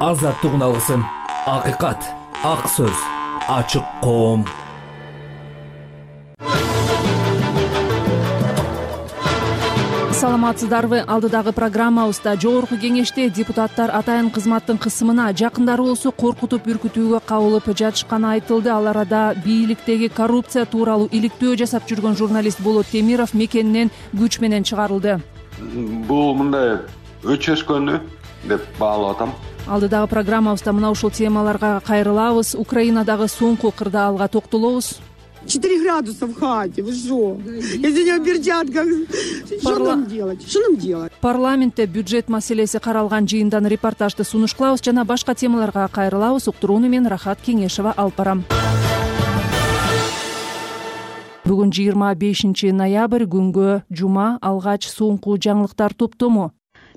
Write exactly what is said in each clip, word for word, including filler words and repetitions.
азаттык үналысын, акыйкат, ак сөз, ачык коом. Саламатсыздарбы? Алдыдагы программабызда жогорку кеңеште депутаттар атайын кызматтын кысымына жакындары болсо коркутуп үркүтүүгө кабылып жатышканы айтылды. Ал арада бийликтеги коррупция тууралуу иликтөө жасап жүргөн журналист Болот Темиров мекенинен күч менен чыгарылды. Бул мындай өчөскөнү деп баалап атам. Алдыдагы программабызда мына ушул темаларга кайрылабыз. Украинадагы соңку кырдаалга токтолобуз. четыре градуса в хате, вы что? Если не в перчатках, что нам делать? Что нам делать? Парламентте бюджет маселеси каралган жыйындан репортажды сунуш кылабыз жана башка темаларга кайрылабыз. Уктурууну мен Рахат Кеңешева алып барам. Бүгүн жыйырма бешинчи ноябрь, күнгө жума, алгач соңку жаңылыктар топтому.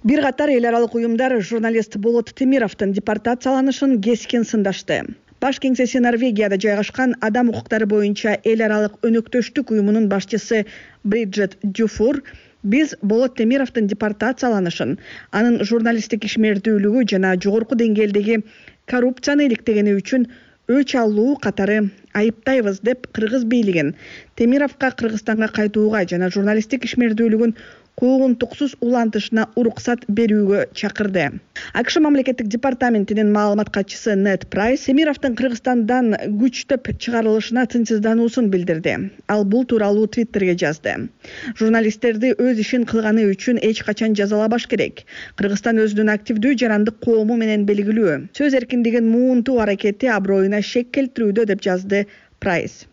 Бир катар эл аралык уюмдар журналист Болот Темировдун депортацияланышын кескин сындашты. Баш кеңсеси Норвегияда жайгашкан адам укуктары боюнча эл аралык өнөктөштүк уюмунун башчысы Бриджит Дюфур биз Болот Темировдун депортацияланышын, анын журналисттик ишмердүүлүгү жана жогорку деңгээлдеги коррупцияны иликтегени үчүн өч алуу катары айыптайбыз деп кыргыз бийлигин Темировго Кыргызстанга кайтууга жана журналисттик ишмердүүлүгүн куугунтуксуз улантышына уруксат берүүгө чакырды. АКШ мамлекеттик департаментинин маалымат катчысы Нед Прайс Темировдун Кыргызстандан күчтөп чыгарылышына тынчсыздануусун билдирди. Ал бул тууралуу Твиттерге жазды. Журналисттерди өз ишин кылганы үчүн эч качан жазалабаш керек. Кыргызстан өзүнүн активдүү жарандык коому менен белгилүү. Сөз эркиндигин муунтуу аракети аброюна шек келтирүүдө деп жазды Прайс.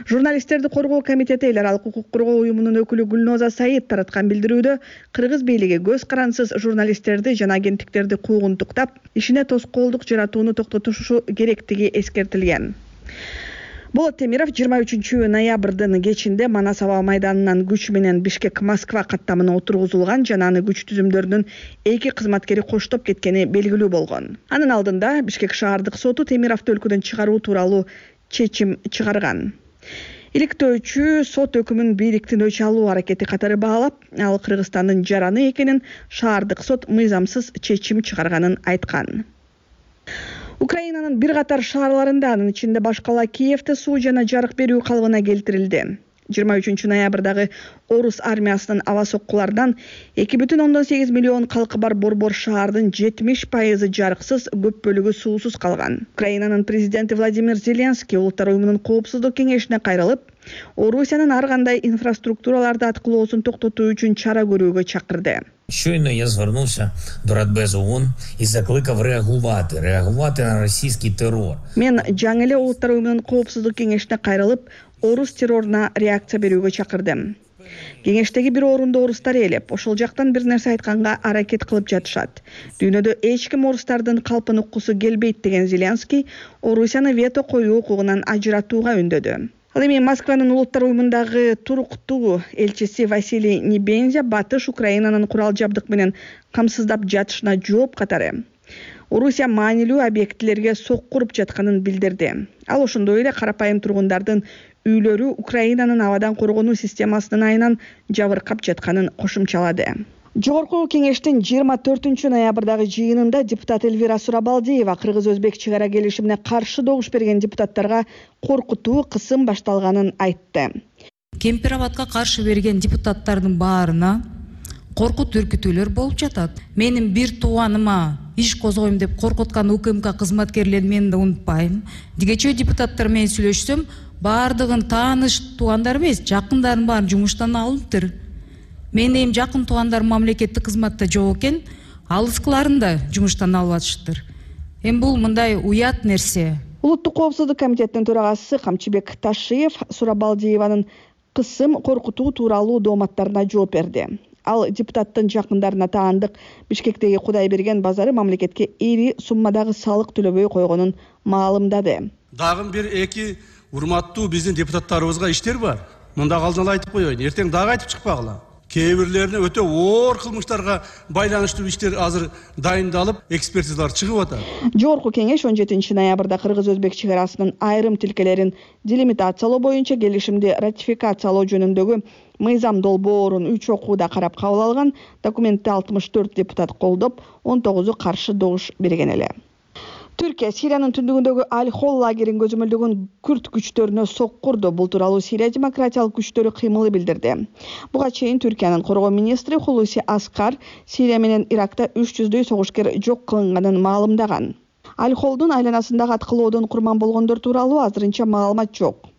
Журналисттерди коргоо комитети эл аралык укук коргоо уюмунун өкүлү Гүлноза Саид тараткан билдирүүдө кыргыз бийлиги көз карансыз журналисттерди жана агенттиктерди куугунтуктап, ишине тоскоолдук жаратууну токтотушу керектиги эскертилген. Болот Темиров жыйырма үчүнчү ноябрдын кечинде Манас аба майданынан күч менен Бишкек-Москва каттамына отургузулган жана аны күч түзүмдөрүнүн эки кызматкери коштоп кеткени белгилүү болгон. Анын алдында Бишкек шаардык соту Темировду өлкөдөн чыгаруу тууралуу чечим чыгарган. Иликтөөчү сот өкүмүн бийликтин өч алуу аракети катары баалап, ал Кыргызстандын жараны экенин, шаардык сот мыйзамсыз чечим чыгарганын айткан. Украинанын бир катар шаарларында, анын ичинде баш кала Киевде суу жана жарык берүү калыбына келтирилди. жыйырма үчүнчү ноябрдагы орус армиясынын аба соккулардан эки бүтүн ондон сегиз миллион калкы бар Борбор шаардын жетимиш пайызы жарыксыз, көп бөлүгү суусуз калган. Украинанын президенти Владимир Зеленский Улуттар уюмунун коопсуздук кеңешине кайрылып, Орусиянын ар кандай инфраструктураларды аткылоосун токтотуу үчүн чара көрүүгө чакырды. Щойно я звернувся до Радбезу ООН і закликав реагувати, реагувати на російський терор. Мен жаңы эле Улуттар уюмунун коопсуздук кеңешине кайрылып, орус терроруна реакция берүүгө чакырдым. Кеңештеги бир орунду орустар ээлеп, ошол жактан бир нерсе айтканга аракет кылып жатышат. Дүйнөдө эч ким орустардын калпын уккусу келбейт деген Зеленский Орусияны вето коюу укугунан ажыратууга үндөдү. Ал эми Москванын Улуттар уюмундагы туруктуу элчиси Василий Небензя батыш Украинанын курал жабдык менен камсыздап жатышына жооп катары Орусия маанилүү объектилерге сокку уруп жатканын билдирди. Ал ошондой эле карапайым тургундардын үйлөрү Украинанын абадан коргонуу системасынын айынан жабыркап жатканын кошумчалады. Жогорку кеңештин жыйырма төртүнчү ноябрдагы жыйынында депутат Эльвира Сурабалдиева кыргыз-өзбек чек ара келишимине каршы добуш берген депутаттарга коркутуу, кысым башталганын айтты. Кемпирабадка каршы берген депутаттардын баарына коркут үркүтүүлөр болуп жатат. Менин бир тууаныма иш козгойм деп коркуткан УКМК кызматкерлерин мен да унутпайм. Дигечө депутаттар менен сүйлөшсөм, баардыгын тааныш туугандар эмес, жакындарын баарын жумуштан алыптыр. Менин эми жакын туугандарым мамлекеттик кызматта жок экен, алыскыларын да жумуштан алып атышыптыр. Эми бул мындай уят нерсе. Улуттук коопсуздук комитетинин төрагасы Камчыбек Ташиев Сурабалдиеванын кысым, коркутуу тууралуу дооматтарына жооп берди. Ал депутаттын жакындарына таандык Бишкектеги Кудайберген базары мамлекетке ири суммадагы салык төлөбөй койгонун маалымдады. Дагы бир эки урматтуу биздин депутаттарыбызга иштер бар. Мында алдын ала айтып коеюн, эртең дагы айтып чыкпагыла. кээ бирлерине өтө оор кылмыштарга байланыштуу иштер азыр дайындалып, экспертизалар чыгып атат. Жогорку кеңеш он жетинчи ноябрда кыргыз-өзбек чек арасынын айрым тилкелерин делимитациялоо боюнча келишимди ратификациялоо жөнүндөгү мыйзам долбоорун үч окууда карап кабыл алган. Документти алтымыш төрт депутат колдоп, он тогузу каршы добуш берген эле. Түркия Сириянын түндүгүндөгү Аль-Хол лагерин көзөмөлдөгөн күрд күчтөрүнө соккурду. Бул тууралуу Сирия демократиялык күчтөрү кыймылы билдирди. Буга чейин Түркиянын коргоо министри Хулуси Аскар Сирия менен Иракта үч жүздөй согушкер жок кылынганын маалымдаган. Аль-Холдун айланасындагы аткылоодон курман болгондор тууралуу азырынча маалымат жок.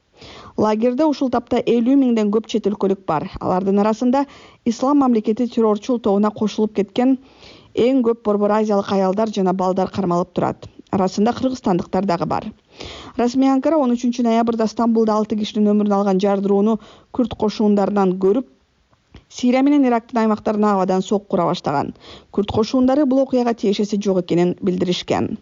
Лагерде ушул тапта элүү миңден көп чет өлкөлүк бар. Алардын арасында Ислам мамлекети террорчул тобуна кошулуп кеткен эң көп Борбор Азиялык аялдар жана балдар кармалып турат. Арасында кыргызстандыктар дагы бар. Расмий Анкара он үчүнчү ноябрда Стамбулда алты кишинин өмүрүн алган жардырууну күрд кошундарынан көрүп, Сирия менен Ирактын аймактарына абадан соккура баштаган. Күрд кошундары бул окуяга тиешеси жок экенин билдиришкен.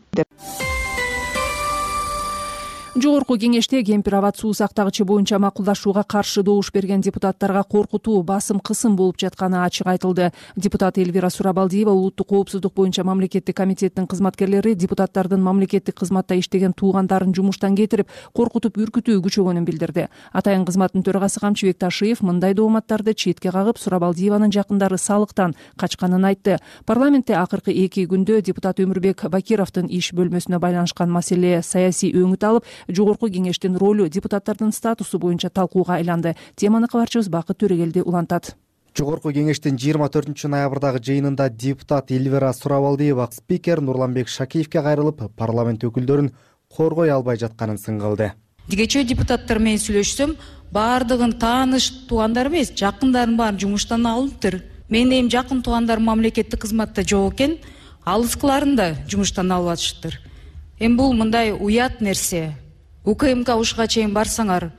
Жогорку кеңеште кемпир абад суу сактагычы боюнча макулдашууга каршы добуш берген депутаттарга коркутуу, басым, кысым болуп жатканы ачык айтылды. Депутат Элвира Сурабалдиева улуттук коопсуздук боюнча мамлекеттик комитеттин кызматкерлери депутаттардын мамлекеттик кызматта иштеген туугандарын жумуштан кетирип, коркутуп, үркүтүү күчөгөнүн билдирди. Атайын кызматтын төрагасы Камчыбек Ташиев мындай дооматтарды четке кагып, Сурабалдиеванын жакындары салыктан качканын айтты. Парламентте акыркы эки күндө депутат Өмүрбек Бакировдун иш бөлмөсүнө байланышкан маселе саясий өңүт алып, Жогорку кеңештин ролу, депутаттардын статусу боюнча талкууга айланды. Теманы кабарчыбыз Бакыт Төрегелди улантат. Жогорку кеңештин жыйырма төртүнчү ноябрдагы жыйынында депутат Элвира Сурабалдиева спикер Нурланбек Шакиевке кайрылып, парламент өкүлдөрүн коргой албай жатканын сынгылды. Тигече депутаттар менен сүйлөшсөм, баардыгын тааныш туугандар эмес, жакындарын баарын жумуштан алыныптыр. Менин эми жакын туугандарым мамлекеттик кызматта жок экен, алыскыларын да жумуштан алып атышыптыр. Эми бул мындай уят нерсе. УКМК ушуга чейин барсаңар,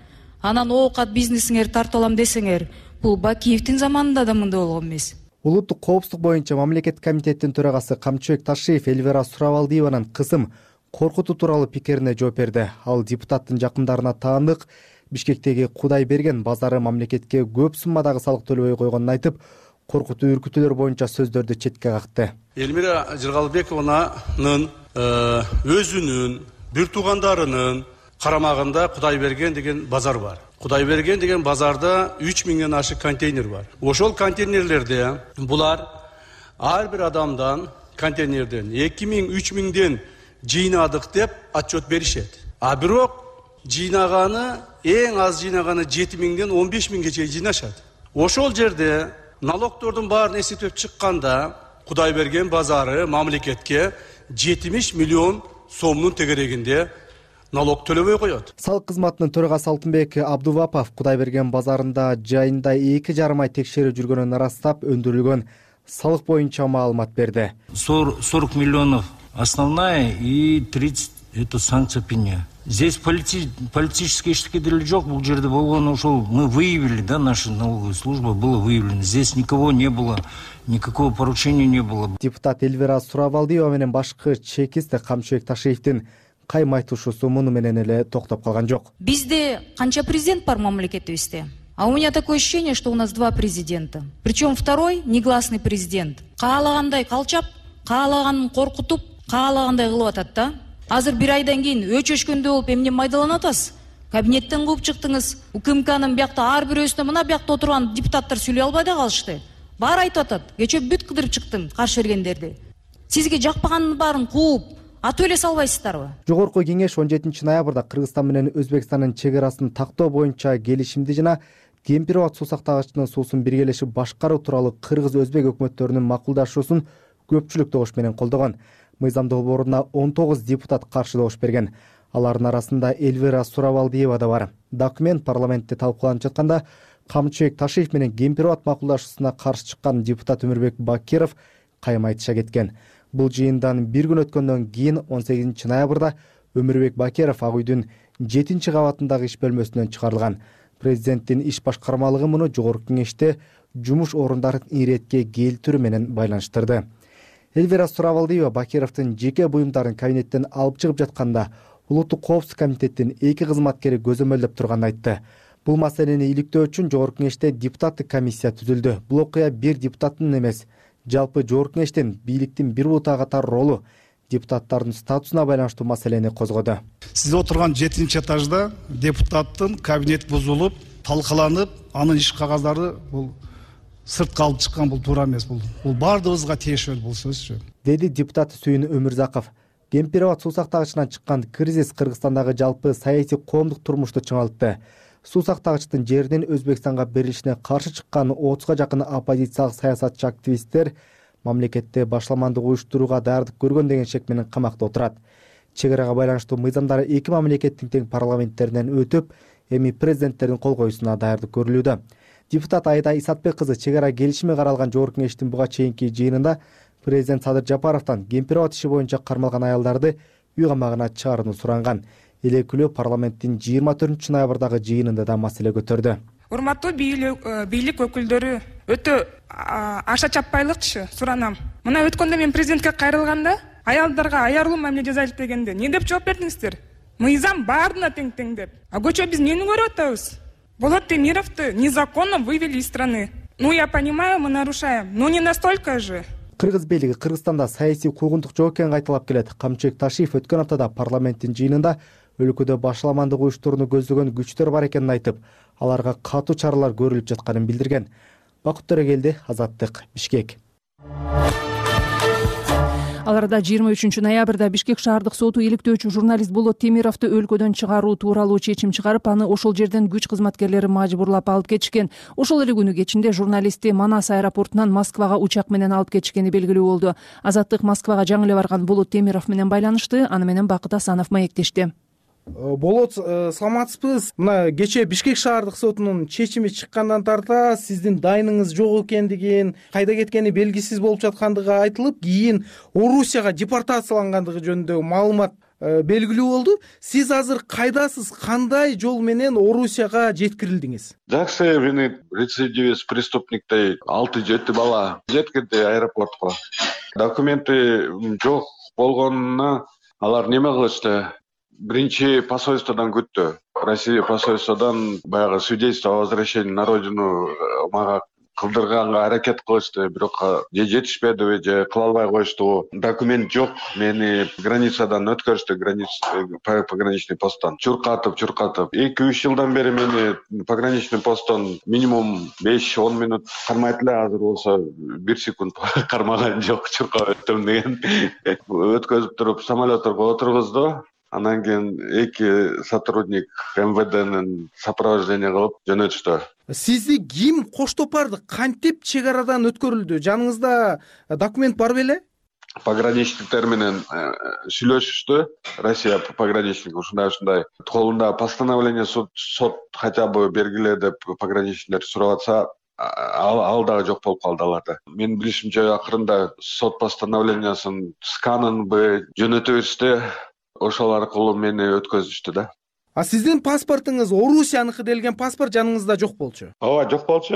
анан оокат бизнесиңер тартып алам десеңер, бул Бакиевдин заманында да мындай болгон эмес. Улуттук коопсуздук боюнча мамлекеттик комитеттин төрагасы Камчыбек Ташиев Элвира Сурабалдиеванын кысым, коркутуу тууралуу пикирине жооп берди. Ал депутаттын жакындарына таандык Бишкектеги Кудайберген базары мамлекетке көп суммадагы салык төлөбөй койгонун айтып, коркутуу үркүтүүлөр боюнча сөздөрдү четке какты. Элмира Жыргалбекованын өзүнүн, бир туугандарынын карамагында Кудайберген деген базар бар. Кудайберген деген базарда үч миңден ашык контейнер бар. Ошол контейнерлерде булар ар бир адамдан контейнерден эки миң үч миңден жыйнадык деп отчет беришет. А бирок жыйнаганы эң аз жыйнаганы жети миңден он беш миңге чейин жыйнашат. Ошол жерде налогтордун баарын эсептеп чыкканда Кудайберген базары мамлекетке жетимиш миллион сомдун тегерегинде налог төлөбөй коет. Салык кызматынын төрагасы Алтынбек Абдувапов Кудайберген базарында жайында эки жарым ай текшерүү жүргөнүн ырастап, өндүрүлгөн салык боюнча маалымат берди. сорок миллионов основная и тридцать это санкция пеня. Здесь полити... политические штуки деле жок, бул жерде болгон ошол мы выявили, да, наша налоговая служба было выявлено. Здесь никого не было, никакого поручения не было. Депутат Элвира Сурабалдиева менен башкы чекисте Камчыбек Ташиевдин кайым айтуушусу муну менен эле токтоп калган жок. Бизде канча президент бар мамлекетибизде? А у меня такое ощущение, что у нас два президента. Причем второй негласный президент. Каалагандай калчап, каалаганын коркутуп, каалагандай кылып атат да. Азыр бир айдан кийин өчөшкөндө болуп эмне майдаланып атасыз? Кабинеттен кууп чыктыңыз. УКМКнын биякта ар бирөөсүнө мына биякта отурган депутаттар сүйлөй албай да калышты. Баары айтып атат. Кечээ бүт кыдырып чыктым каршы бергендерди. Сизге жакпаганын баарын кууп атып эле салбайсыздарбы? Жогорку кеңеш он жетинчи ноябрда Кыргызстан менен Өзбекстандын чек арасын тактоо боюнча келишимди жана кемпир абад суу сактагычынын суусун биргелешип башкаруу тууралуу кыргыз-өзбек өкмөттөрүнүн макулдашуусун көпчүлүк добуш менен колдогон. Мыйзам долбооруна он тогуз депутат каршы добуш берген. Алардын арасында Элвира Сурабалдиева да бар. Документ парламентте талкууланып жатканда Камчыбек Ташиев менен кемпир абад макулдашуусуна каршы чыккан депутат Өмүрбек Бакиров кайым айтыша кеткен. Бул жыйындан бир күн өткөндөн кийин он сегизинчи ноябрда Өмүрбек Бакиров Ак үйдүн жетинчи кабатындагы иш бөлмөсүнөн чыгарылган. Президенттин иш башкармалыгы муну жогорку кеңеште жумуш орундарын иретке келтирүү менен байланыштырды. Элвира Сурабалдиева Бакировдун жеке буюмдарын кабинеттен алып чыгып жатканда улуттук коопсуздук комитеттин эки кызматкери көзөмөлдөп турганын айтты. Бул маселени иликтөө үчүн Жогорку Кеңеште депутаттык комиссия түзүлдү. Бул окуя бир депутаттын эмес, жалпы Жогорку Кеңештин бийликтин бир бутага катар ролу, депутаттардын статусуна байланыштуу маселени козгоду. Сиз отурган жетинчи этажда депутаттын кабинет бузулуп, талкаланып, анын иш кагаздары бул сыртка алып чыккан, бул туура эмес, бул бул баардыгыбызга тиешелүү бул сөзчү, деди депутат Сүйүн Өмүрзаков. Кемпирова суусактагычынан чыккан кризис Кыргызстандагы жалпы саясий коомдук турмушту чыңалтты. Суусактагычтын жеринин Өзбекстанга берилишине каршы чыккан отузга жакын оппозициялык саясатчы активисттер мамлекетте башламандык уюштурууга даярдык көргөн деген шек менен камакта отурат. Чек арага байланыштуу мыйзамдары эки мамлекеттин тең парламенттеринен өтүп, эми президенттердин кол коюусуна даярдык көрүлүүдө. Депутат Айда Исатбек кызы чек ара келишими каралган Жогорку Кеңештин буга чейинки жыйынында президент Садыр Жапаровдон Кемпирова иши боюнча кармалган аялдарды үй камагына чыгарууну суранган. Элекүлөө парламенттин жыйырма төртүнчү ноябрдагы жыйынында да маселе көтөрдү. Урматтуу бийлик өкүлдөрү, өтө аша чаппайлыкчы суранам. Мына өткөндө мен президентке кайрылганда аялдарга аярлуу мамиле жасайлык дегенде эмне деп жооп бердиңиздер? Мыйзам баарына тең-тең деп. А көчө биз эмнени көрүп атабыз? Болот Темировду незаконно вывели из страны. Ну я понимаю, мы нарушаем, но не настолько же. Кыргыз бийлиги Кыргызстанда саясий куугунтук жок экенин кайталап келет. Камчыбек Ташиев өткөн аптада парламенттин жыйынында өлкөдө башламандык уюштурууну көздөгөн күчтөр бар экенин айтып, аларга катуу чаралар көрүлүп жатканын билдирген. Бакыт Төрөгелди, Азаттык, Бишкек. Ал арада жыйырма үчүнчү ноябрда Бишкек шаардык соту иликтөөчү журналист Болот Темировду өлкөдөн чыгаруу тууралуу чечим чыгарып, аны ошол жерден күч кызматкерлери мажбурлап алып кетишкен. Ошол эле күнү кечинде журналистти Манас аэропортунан Москвага учак менен алып кетишкени белгилүү болду. Азаттык Москвага жаңы эле барган Болот Темиров менен байланышты, аны менен Бакыт Асанов маектешти. Болот, саламатсызбыз? Мына кечээ Бишкек шаардык сотунун чечими чыккандан тарта сиздин дайыныңыз жок экендигин, кайда кеткени белгисиз болуп жаткандыгы айтылып, кийин Орусияга депортациялангандыгы жөнүндө маалымат белгилүү болду. Сиз азыр кайдасыз? Кандай жол менен Орусияга жеткирилдиңиз? Жакшы, мени рецидивист преступниктей алты жети бала жеткирди аэропортко. Документи жок болгонуна алар неме кылышты? Биринчи посольстводон күттү. Россия посольстводон баягы свидетельство о возвращении на родину мага кылдырганга аракет кылышты, бирок же жетишпедиби, же кыла албай коюшту. Документ жок. Мени границадан өткөрүштү, пограничный посттон. Чуркатып, чуркатып. эки үч жылдан бери мени пограничный посттон минимум беш он минут кармайт эле, азыр болсо бир секунд кармаган жок, чуркап өттүм деген. Өткөзүп туруп самолетторго отургузду. Анан кийин эки сотрудник эм вэ дэнин сопровождение кылып жөнөтүштү. Сизди ким коштоп барды? Кантип чек арадан өткөрүлдү? Жаныңызда документ бар беле? Пограничниктер менен сүйлөшүштү. Россия пограничник ушундай ушундай колунда постановление сот хотя бы бергиле деп пограничниктер сурап атса, ал, ал дагы жок болуп калды аларда. Менин билишимче акырында сот постановлениясын сканынбы жөнөтө беришти. Ошол аркылуу мени өткөзүштү да. А сиздин паспортуңуз Орусияныкы делген паспорт жаныңызда жок болчу? Ооба, жок болчу.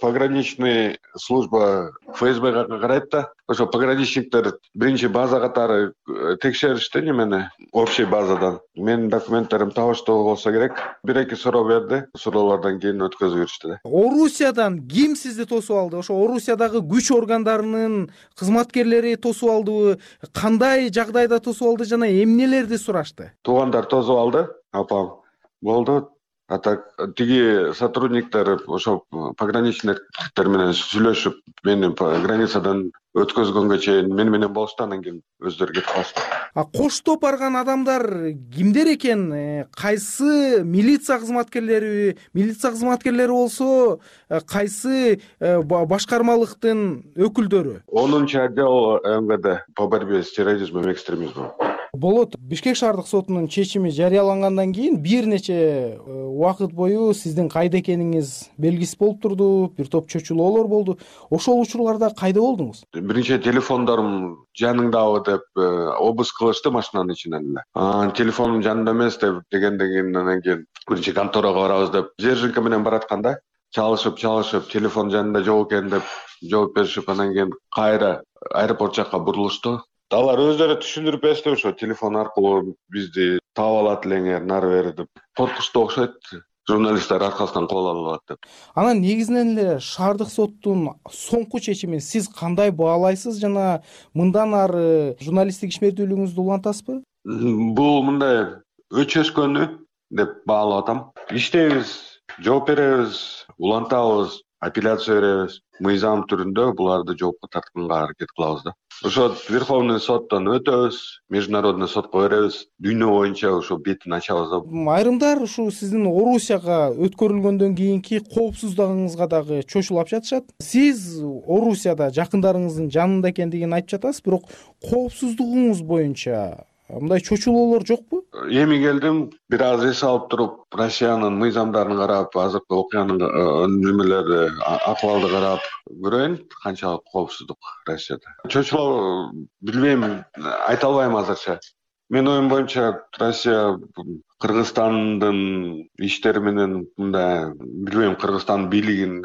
Пограничный служба эф эс бэ карайт да. Ошо пограничниктер биринчи база катары текшеришти немени, общий базадан. Менин документтерим табыштуу болсо керек. Бир-эки суроо берди. Суроолордон кийин өткөзүп беришти да. Орусиядан ким сизди тосуп алды? Ошо Орусиядагы күч органдарынын кызматкерлери тосуп алдыбы? Кандай жагдайда тосуп алды жана эмнелерди сурашты? Туугандар тосуп алды. Апам болду. А так тиги сотрудниктер ошо пограничниктер менен сүйлөшүп, мени границадан өткөзгөнгө чейин мени менен болушту, анан кийин өздөрү кетип калышты. А коштоп барган адамдар кимдер экен? Кайсы милиция кызматкерлери, милиция кызматкерлери болсо кайсы башкармалыктын өкүлдөрү? онунчу отдел эм вэ дэ по борьбе с терроризмом и экстремизмом. Болот, Бишкек шаардык сотунун чечими жарыялангандан кийин бир нече убакыт бою сиздин кайда экениңиз белгисиз болуп турду, бир топ чөчүлөөлөр болду. Ошол учурларда кайда болдуңуз? Биринчи телефондорум жаныңдабы деп обыск кылышты машинанын ичинен эле. Анан телефонум жанымда эмес деп дегенден кийин анан кийин биринчи конторага барабыз деп Зержинка менен баратканда чалышып чалышып телефон жанында жок экен деп жооп беришип, анан кийин кайра аэропорт жакка бурулушту. Алар өздөрү түшүндүрүп беришти, ошо телефон аркылуу бизди таап алат элеңер, нары бери деп. Коркучтуу окшойт. журналисттер аркасынан кол алып атат деп. Анан негизинен эле шаардык соттун соңку чечимин сиз кандай баалайсыз жана мындан ары журналисттик ишмердүүлүгүңүздү улантасызбы? Бул мындай өчөшкөнү деп баалап атам. Иштейбиз, жооп беребиз, улантабыз, апелляция беребиз. Мыйзам түрүндө буларды жоопко тартканга аракет кылабыз да. Ошо Верховный соттон өтөбүз, международный сотко беребиз. Дүйнө боюнча ошо бетин ачабыз да. Айрымдар ушу сиздин Орусияга өткөрүлгөндөн кийинки коопсуздугуңузга дагы чочулап жатышат. Сиз Орусияда жакындарыңыздын жанында экендигин айтып жатасыз, бирок коопсуздугуңуз боюнча мындай чочулоолор жокпу? Эми келдим, бир аз эс алып туруп, Россиянын мыйзамдарын карап, азыркы окуянын немелери, акыбалды карап көрөйүн, канчалык коопсуздук Россияда. Чочулоо билбейм, айта албайм азырча. Менин оюм боюнча Россия Кыргызстандын иштери менен мындай, билбейм, Кыргызстандын бийлигин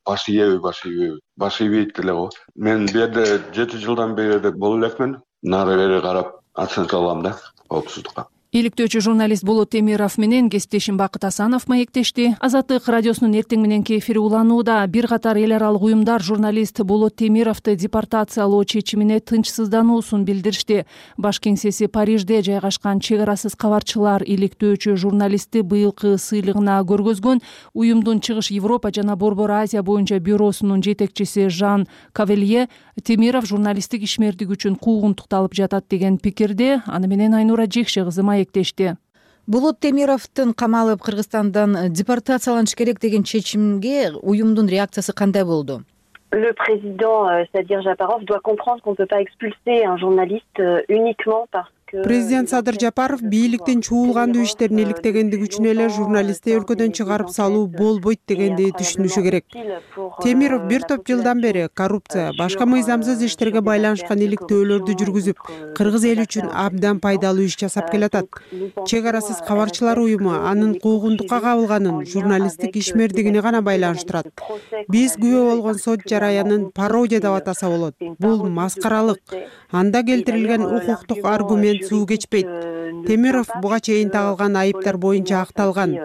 баш ийеби, баш ийбейби, баш ийбейт эле го. Мен бу жерде жети жылдан бери боло элекмин. Нары бери карап оценка алам да коопсуздукка. Иликтөөчү журналист Болот Темиров менен кесиптешим Бакыт Асанов маектешти. Азаттык радиосунун эртең мененки эфири уланууда. Бир катар эл аралык уюмдар журналист Болот Темировду депортациялоо чечимине тынчсыздануусун билдиришти. Баш кеңсеси Парижде жайгашкан чек арасыз кабарчылар иликтөөчү журналистти быйылкы сыйлыгына көргөзгөн. Уюмдун Чыгыш Европа жана Борбор Азия боюнча бюросунун жетекчиси Жан Кавелье Темиров журналисттик ишмердиги үчүн куугунтукталып жатат деген пикирде. Аны менен Айнура Жекше кызы маектешти. Болот Темировдун камалып Кыргызстандан депортацияланыш керек деген чечимге уюмдун реакциясы кандай болду? Le président Sadir Japarov doit comprendre qu'on ne peut pas expulser un journaliste uniquement parce Президент Садыр Жапаров бийликтин чуулгандуу иштерин иликтегендиги үчүн эле журналистти өлкөдөн чыгарып салуу болбойт дегенди түшүнүшү керек. Темиров бир топ жылдан бери коррупция, башка мыйзамсыз иштерге байланышкан иликтөөлөрдү жүргүзүп, кыргыз эли үчүн абдан пайдалуу иш жасап келатат. Чек арасыз кабарчылар уюму анын куугунтукка кабылганын журналисттик ишмердигине гана байланыштырат. Биз күбө болгон сот жараянын пародия деп атаса болот. Бул маскаралык. Анда келтирилген укуктук аргумент суу кечпейт. Темиров буга чейин тагылган айыптар боюнча акталган.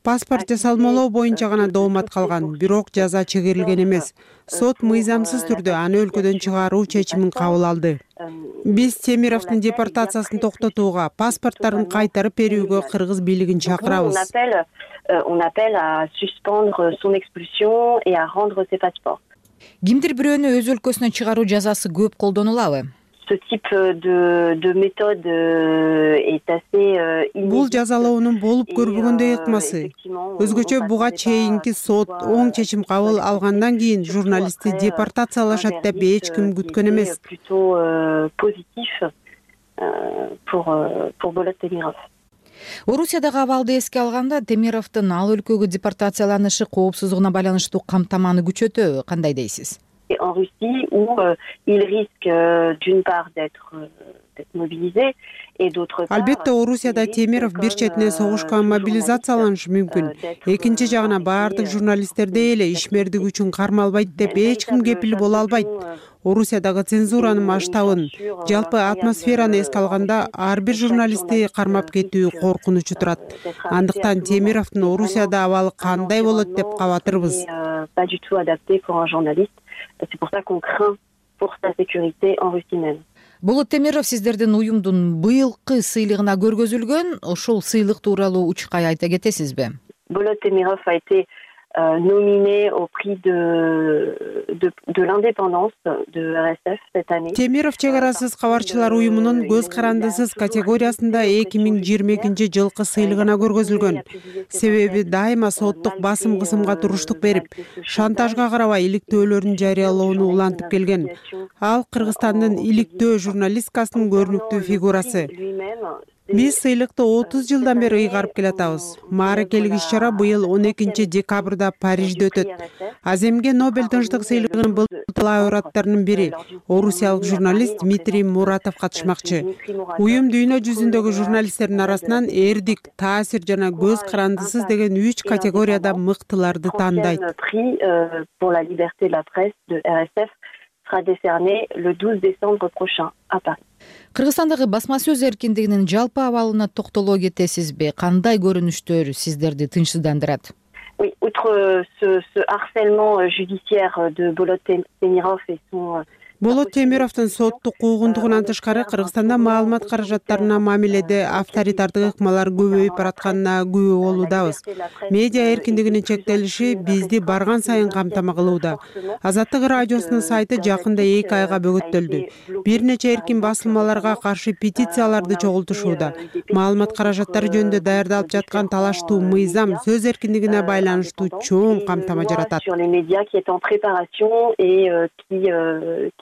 Паспорт жасалмалоо боюнча гана доомат калган, бирок жаза чегерилген эмес. Сот мыйзамсыз түрдө аны өлкөдөн чыгаруу чечимин кабыл алды. Биз Темировдун депортациясын токтотууга, паспорттарын кайтарып берүүгө кыргыз бийлигин чакырабыз. On appelle à suspendre son expulsion et à rendre ses passeports. Кимдир бирөөнү өз өлкөсүнөн чыгаруу жазасы көп колдонулабы? Ce type de, de méthode est assez inédit. Бул жазалоонун болуп көрбөгөндөй ыкмасы. Өзгөчө буга чейинки сот оң чечим кабыл алгандан кийин журналистти депортациялашат деп эч ким күткөн эмес. Plutôt positif pour pour Болот Темиров. Орусиядагы абалды эске алганда Темировдун ал өлкөгө депортацияланышы коопсуздугуна байланыштуу камтаманы күчөтөбү, кандай дейсиз? En Russie où euh, il risque euh, d'une part d'être euh, d'être mobilisé et d'autre part. Албетте Орусияда Темиров бир четинен согушка мобилизацияланышы мүмкүн. Экинчи жагына баардык журналисттердей эле ишмердиги үчүн кармалбайт деп эч ким кепил боло албайт. Орусиядагы цензуранын масштабын, жалпы атмосфераны эске алганда ар бир журналистти кармап кетүү коркунучу турат. Андыктан Темировдун Орусияда абалы кандай болот деп кабатырбыз. Pas du tout adapté pour un journaliste. C'est pour ça qu'on craint pour sa sécurité en Russie même. Болот Темиров сиздердин уюмдун быйылкы сыйлыгына көргөзүлгөн, ошол сыйлык тууралуу учкай айта кетесизби? Болот Темиров a été euh, nominé au prix de de, de l'indépendance de эр эс эф cette année. Темиров чек арасыз кабарчылар уюмунун көз карандысыз категориясында эки миң жыйырма экинчи жылкы сыйлыгына көргөзүлгөн. Себеби дайыма соттук басым кысымга туруштук берип, шантажга карабай иликтөөлөрүн жарыялоону улантып келген. Ал Кыргызстандын иликтөө журналисткасынын көрүнүктүү фигурасы. Биз сыйлыкты отуз жылдан бери ыйгарып келатабыз. Мааракелик иш-чара быйыл он экинчи декабрда Парижде өтөт. Аземге Нобель тынчтык сыйлыгынын былтыр лауреаттарынын бири орусиялык журналист Дмитрий Муратов катышмакчы. Уюм дүйнө жүзүндөгү журналисттердин арасынан эрдик, таасир жана көз карандысыз деген үч категорияда мыктыларды тандайт. Pour la liberté de la presse de эр эс эф sera décerné le douze décembre prochain à Paris. Кыргызстандагы басма сөз эркиндигинин жалпы абалына токтоло кетесизби? Кандай көрүнүштөр сиздерди тынчсыздандырат? Oui, outre ce, ce harcèlement judiciaire de Bolot Temirov et son Болот Темировдун соттук куугундугунан тышкары Кыргызстанда маалымат каражаттарына мамиледе авторитардык ыкмалар көбөйүп баратканына күбө болуудабыз. Медиа эркиндигинин чектелиши бизди барган сайын камтама кылууда. Азаттык радиосунун сайты жакында эки айга бөгөттөлдү. Бир нече эркин басылмаларга каршы петицияларды чогултушууда. Маалымат каражаттары жөнүндө даярдалып жаткан талаштуу мыйзам сөз эркиндигине байланыштуу чоң камтама жаратат.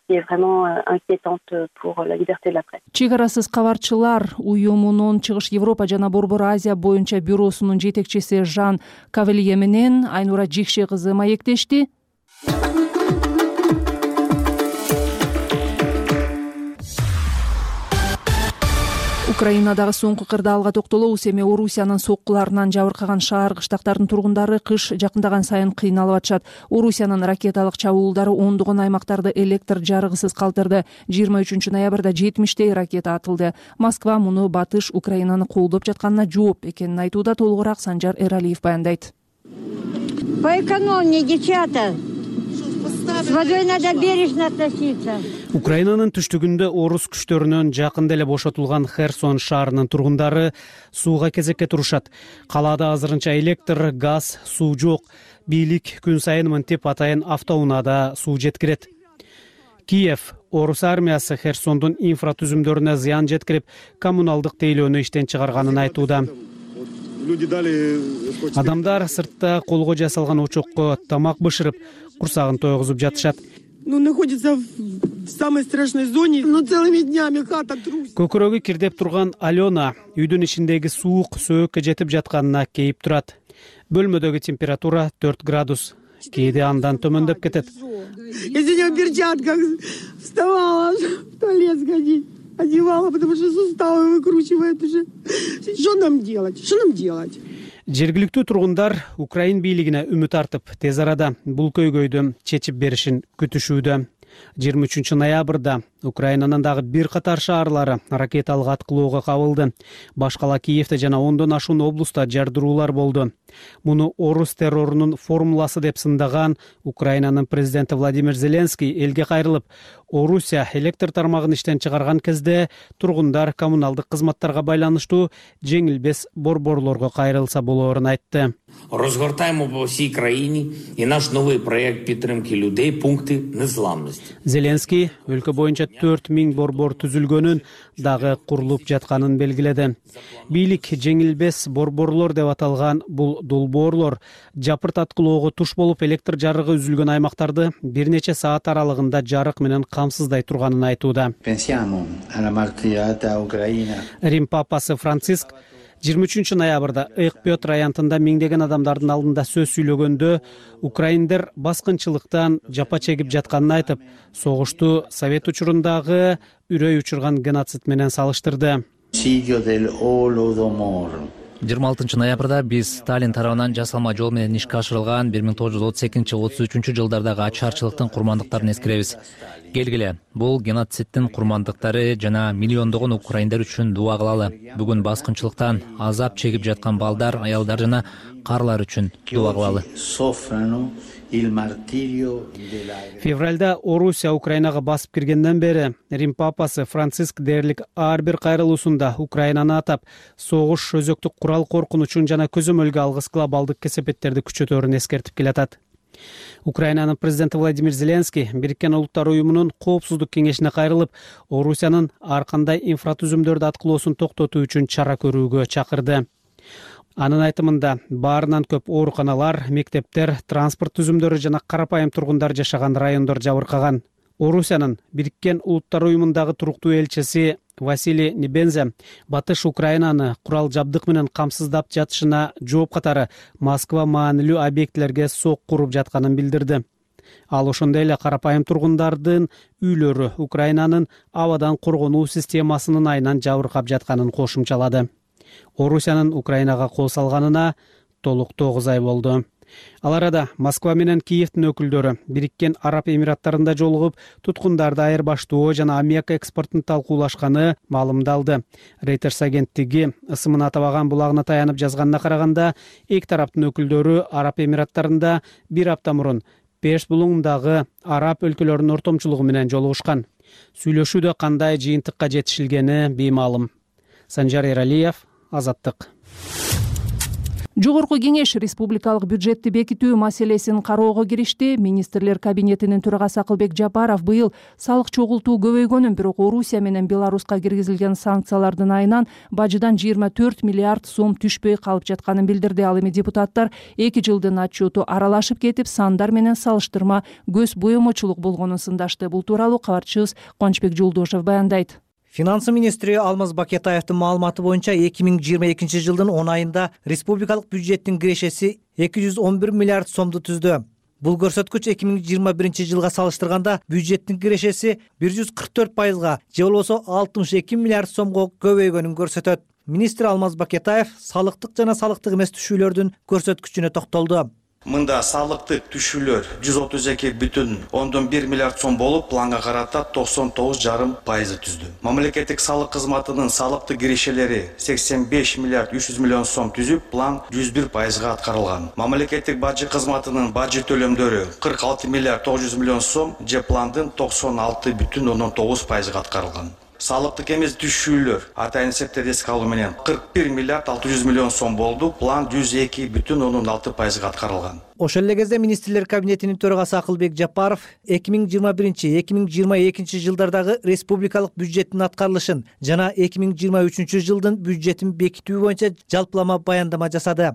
qui est vraiment inquiétante pour la liberté de la presse. Чигарасыз кабарчылар уюмунун Чыгыш Европа жана Борбор Азия боюнча бюросунун жетекчиси Жан Кавелье менен Айнура Жикше кызы маектешти. Украинадагы соңку кырдаалга токтолобуз. Эми Орусиянын соккуларынан жабыркаган шаар кыштактардын тургундары кыш жакындаган сайын кыйналып атышат. Орусиянын ракеталык чабуулдары ондогон аймактарды электр жарыгысыз калтырды. жыйырма үчүнчү ноябрда жетимиштей ракета атылды. Москва муну батыш Украинаны колдоп жатканына жооп экенин айтууда. Толугураак Санжар Эралиев баяндайт. Поэкономнее, девчата. С водой надо бережно относиться. Украинанын түштүгүндө орус күчтөрүнөн жакында эле бошотулган Херсон шаарынын тургундары сууга кезекке турушат. Калаада азырынча электр, газ, суу жок. Бийлик күн сайын мынтип атайын автоунаада суу жеткирет. Киев орус армиясы Херсондун инфратүзүмдөрүнө зыян жеткирип, коммуналдык тейлөөнү иштен чыгарганын айтууда. Адамдар сыртта колго жасалган очокко тамак бышырып, курсагын тойгузуп жатышат. Ну, находится в самой страшной зоне, но целыми днями хата трусит. Көкөрөгү кирдеп турган Алена үйдүн ичиндеги суук сөөккө жетип жатканына кейип турат. Бөлмөдөгү температура төрт градус. Кээде андан төмөндөп кетет. Я сегодня в перчатках вставала в туалет сходить. Одевала, потому что суставы выкручивает уже. Что нам делать? Что нам делать? Жергиликтүү тургундар Украин бийлигине үмүт артып, тез арада бул көйгөйдү чечип беришин күтүшүүдө. жыйырма үчүнчү ноябрда Украинанын дагы бир катар шаарлары ракеталык аткылоого кабылды. Башкала Киевде жана ондон ашуун облуста жардыруулар болду. Муну орус террорунун формуласы деп сындаган Украинанын президенти Владимир Зеленский элге кайрылып, Орусия электр тармагын иштен чыгарган кезде тургундар коммуналдык кызматтарга байланыштуу жеңилбес борборлорго кайрылса болоорун айтты. Розгортаємо по всій країні і наш новий проєкт підтримки людей пункти незламності. Зеленский өлкө боюнча төрт миң борбор түзүлгөнүн дагы курулуп жатканын белгиледи. Бийлик жеңилбес борборлор деп аталган бул долбоорлор жапырт аткылоого туш болуп электр жарыгы үзүлгөн аймактарды бир нече саат аралыгында жарык менен камсыздай турганын айтууда. Рим папасы Франциск жыйырма үчүнчү ноябрда Экпётр аянтында миңдеген адамдардын алдында сөз сүйлөгөндө украиндер баскынчылыктан жапа чегип жатканын айтып, согушту Совет учурундагы үрөй учурган геноцид менен салыштырды. жыйырма алтынчы ноябрда биз Сталин тарабынан жасалма жол менен ишке ашырылган бир миң тогуз жүз отуз экинчи отуз үчүнчү жылдардагы ачарчылыктын курмандыктарын эскеребиз. Келгиле, бул геноцидтин курмандыктары жана миллиондогон украиндер үчүн дуа кылалы. Бүгүн баскынчылыктан азап чегип жаткан балдар, аялдар жана карлар үчүн дуа кылалы. Февралда Орусия Украинага басып киргенден бери Рим папасы Франциск дээрлик ар бир кайрылуусунда Украинаны атап, согуш өзөктүк курал коркунучун жана көзөмөлгө алгыс глобалдык кесепеттерди күчөтөөрүн эскертип келатат. Украинанын президенти Владимир Зеленский Бириккен Улуттар уюмунун коопсуздук кеңешине кайрылып, Орусиянын ар кандай инфратүзүмдөрдү аткылоосун токтотуу үчүн чара көрүүгө чакырды. Анын айтымында баарынан көп ооруканалар, мектептер, транспорт түзүмдөрү жана карапайым тургундар жашаган райондор жабыркаган. Орусиянын Бириккен Улуттар уюмундагы туруктуу элчиси Василий Небензе батыш Украинаны курал жабдык менен камсыздап жатышына жооп катары Москва маанилүү объектилерге сок куруп жатканын билдирди. Ал ошондой эле карапайым тургундардын үйлөрү Украинанын абадан коргонуу системасынын айынан жабыркап жатканын кошумчалады. Орусиянын Украинага кол салганына толук тогуз ай болду. Ал арада Москва менен Киевдин өкүлдөрү Бириккен Араб Эмираттарында жолугуп, туткундарды айырбаштоо жана аммиак экспортун талкуулашканы маалымдалды. Reuters агенттиги ысымын атабаган булагына таянып жазганына караганда, эки тараптын өкүлдөрү Араб Эмираттарында бир апта мурун Перс булуңундагы араб өлкөлөрүнүн ортомчулугу менен жолугушкан. Сүйлөшүүдө кандай жыйынтыкка жетишилгени беймаалым. Санжар Эралиев, Азаттык. Жогорку кеңеш республикалык бюджетти бекитүү маселесин кароого киришти. Министрлер кабинетинин төрагасы Акылбек Жапаров быйыл салык чогултуу көбөйгөнүн, бирок Орусия менен Беларуска киргизилген санкциялардын айынан бажыдан жыйырма төрт миллиард сом түшпөй калып жатканын билдирди. Ал эми депутаттар эки жылдын отчету аралашып кетип, сандар менен салыштырма көз боемочулук болгонун сындашты. Бул тууралуу кабарчыбыз Кубанычбек Жолдошев баяндайт. Финансы министри Алмаз Бакетаевдин маалыматы боюнча эки миң жыйырма экинчи жылдын он айында республикалык бюджеттин кирешеси эки жүз он бир миллиард сомду түздү. Бул көрсөткүч эки миң жыйырма биринчи жылга салыштырганда бюджеттин кирешеси бир жүз кырк төрт пайызга, же болбосо алтымыш эки миллиард сомго көбөйгөнүн көрсөтөт. Министр Алмаз Бакетаев салыктык жана салыктык эмес түшүүлөрдүн көрсөткүчүнө токтолду. Мында салыктык түшүүлөр жүз отуз эки бүтүн ондон бир миллиард сом болуп, планга карата токсон тогуз жарым пайызы түздү. Мамлекеттик салык кызматынын салыктык кирешелери сексен беш миллиард үч жүз миллион сом түзүп, план жүз бир пайызга аткарылган. Мамлекеттик бажы кызматынын бажы төлөмдөрү кырк алты миллиард тогуз жүз миллион сом, же пландын токсон алты бүтүн ондон тогуз пайызга аткарылган. Салыктык эмес түшүүлөр атайын эсептерди эске алуу менен кырк бир миллиард алты жүз миллион сом болду, план жүз эки бүтүн ондон алты пайызга аткарылган. Ошол эле кезде министрлер кабинетинин төрагасы Акылбек Жапаров эки миң жыйырма биринчи эки миң жыйырма экинчи жылдардагы республикалык бюджеттин аткарылышын жана эки миң жыйырма үчүнчү жылдын бюджетин бекитүү боюнча жалпылама баяндама жасады.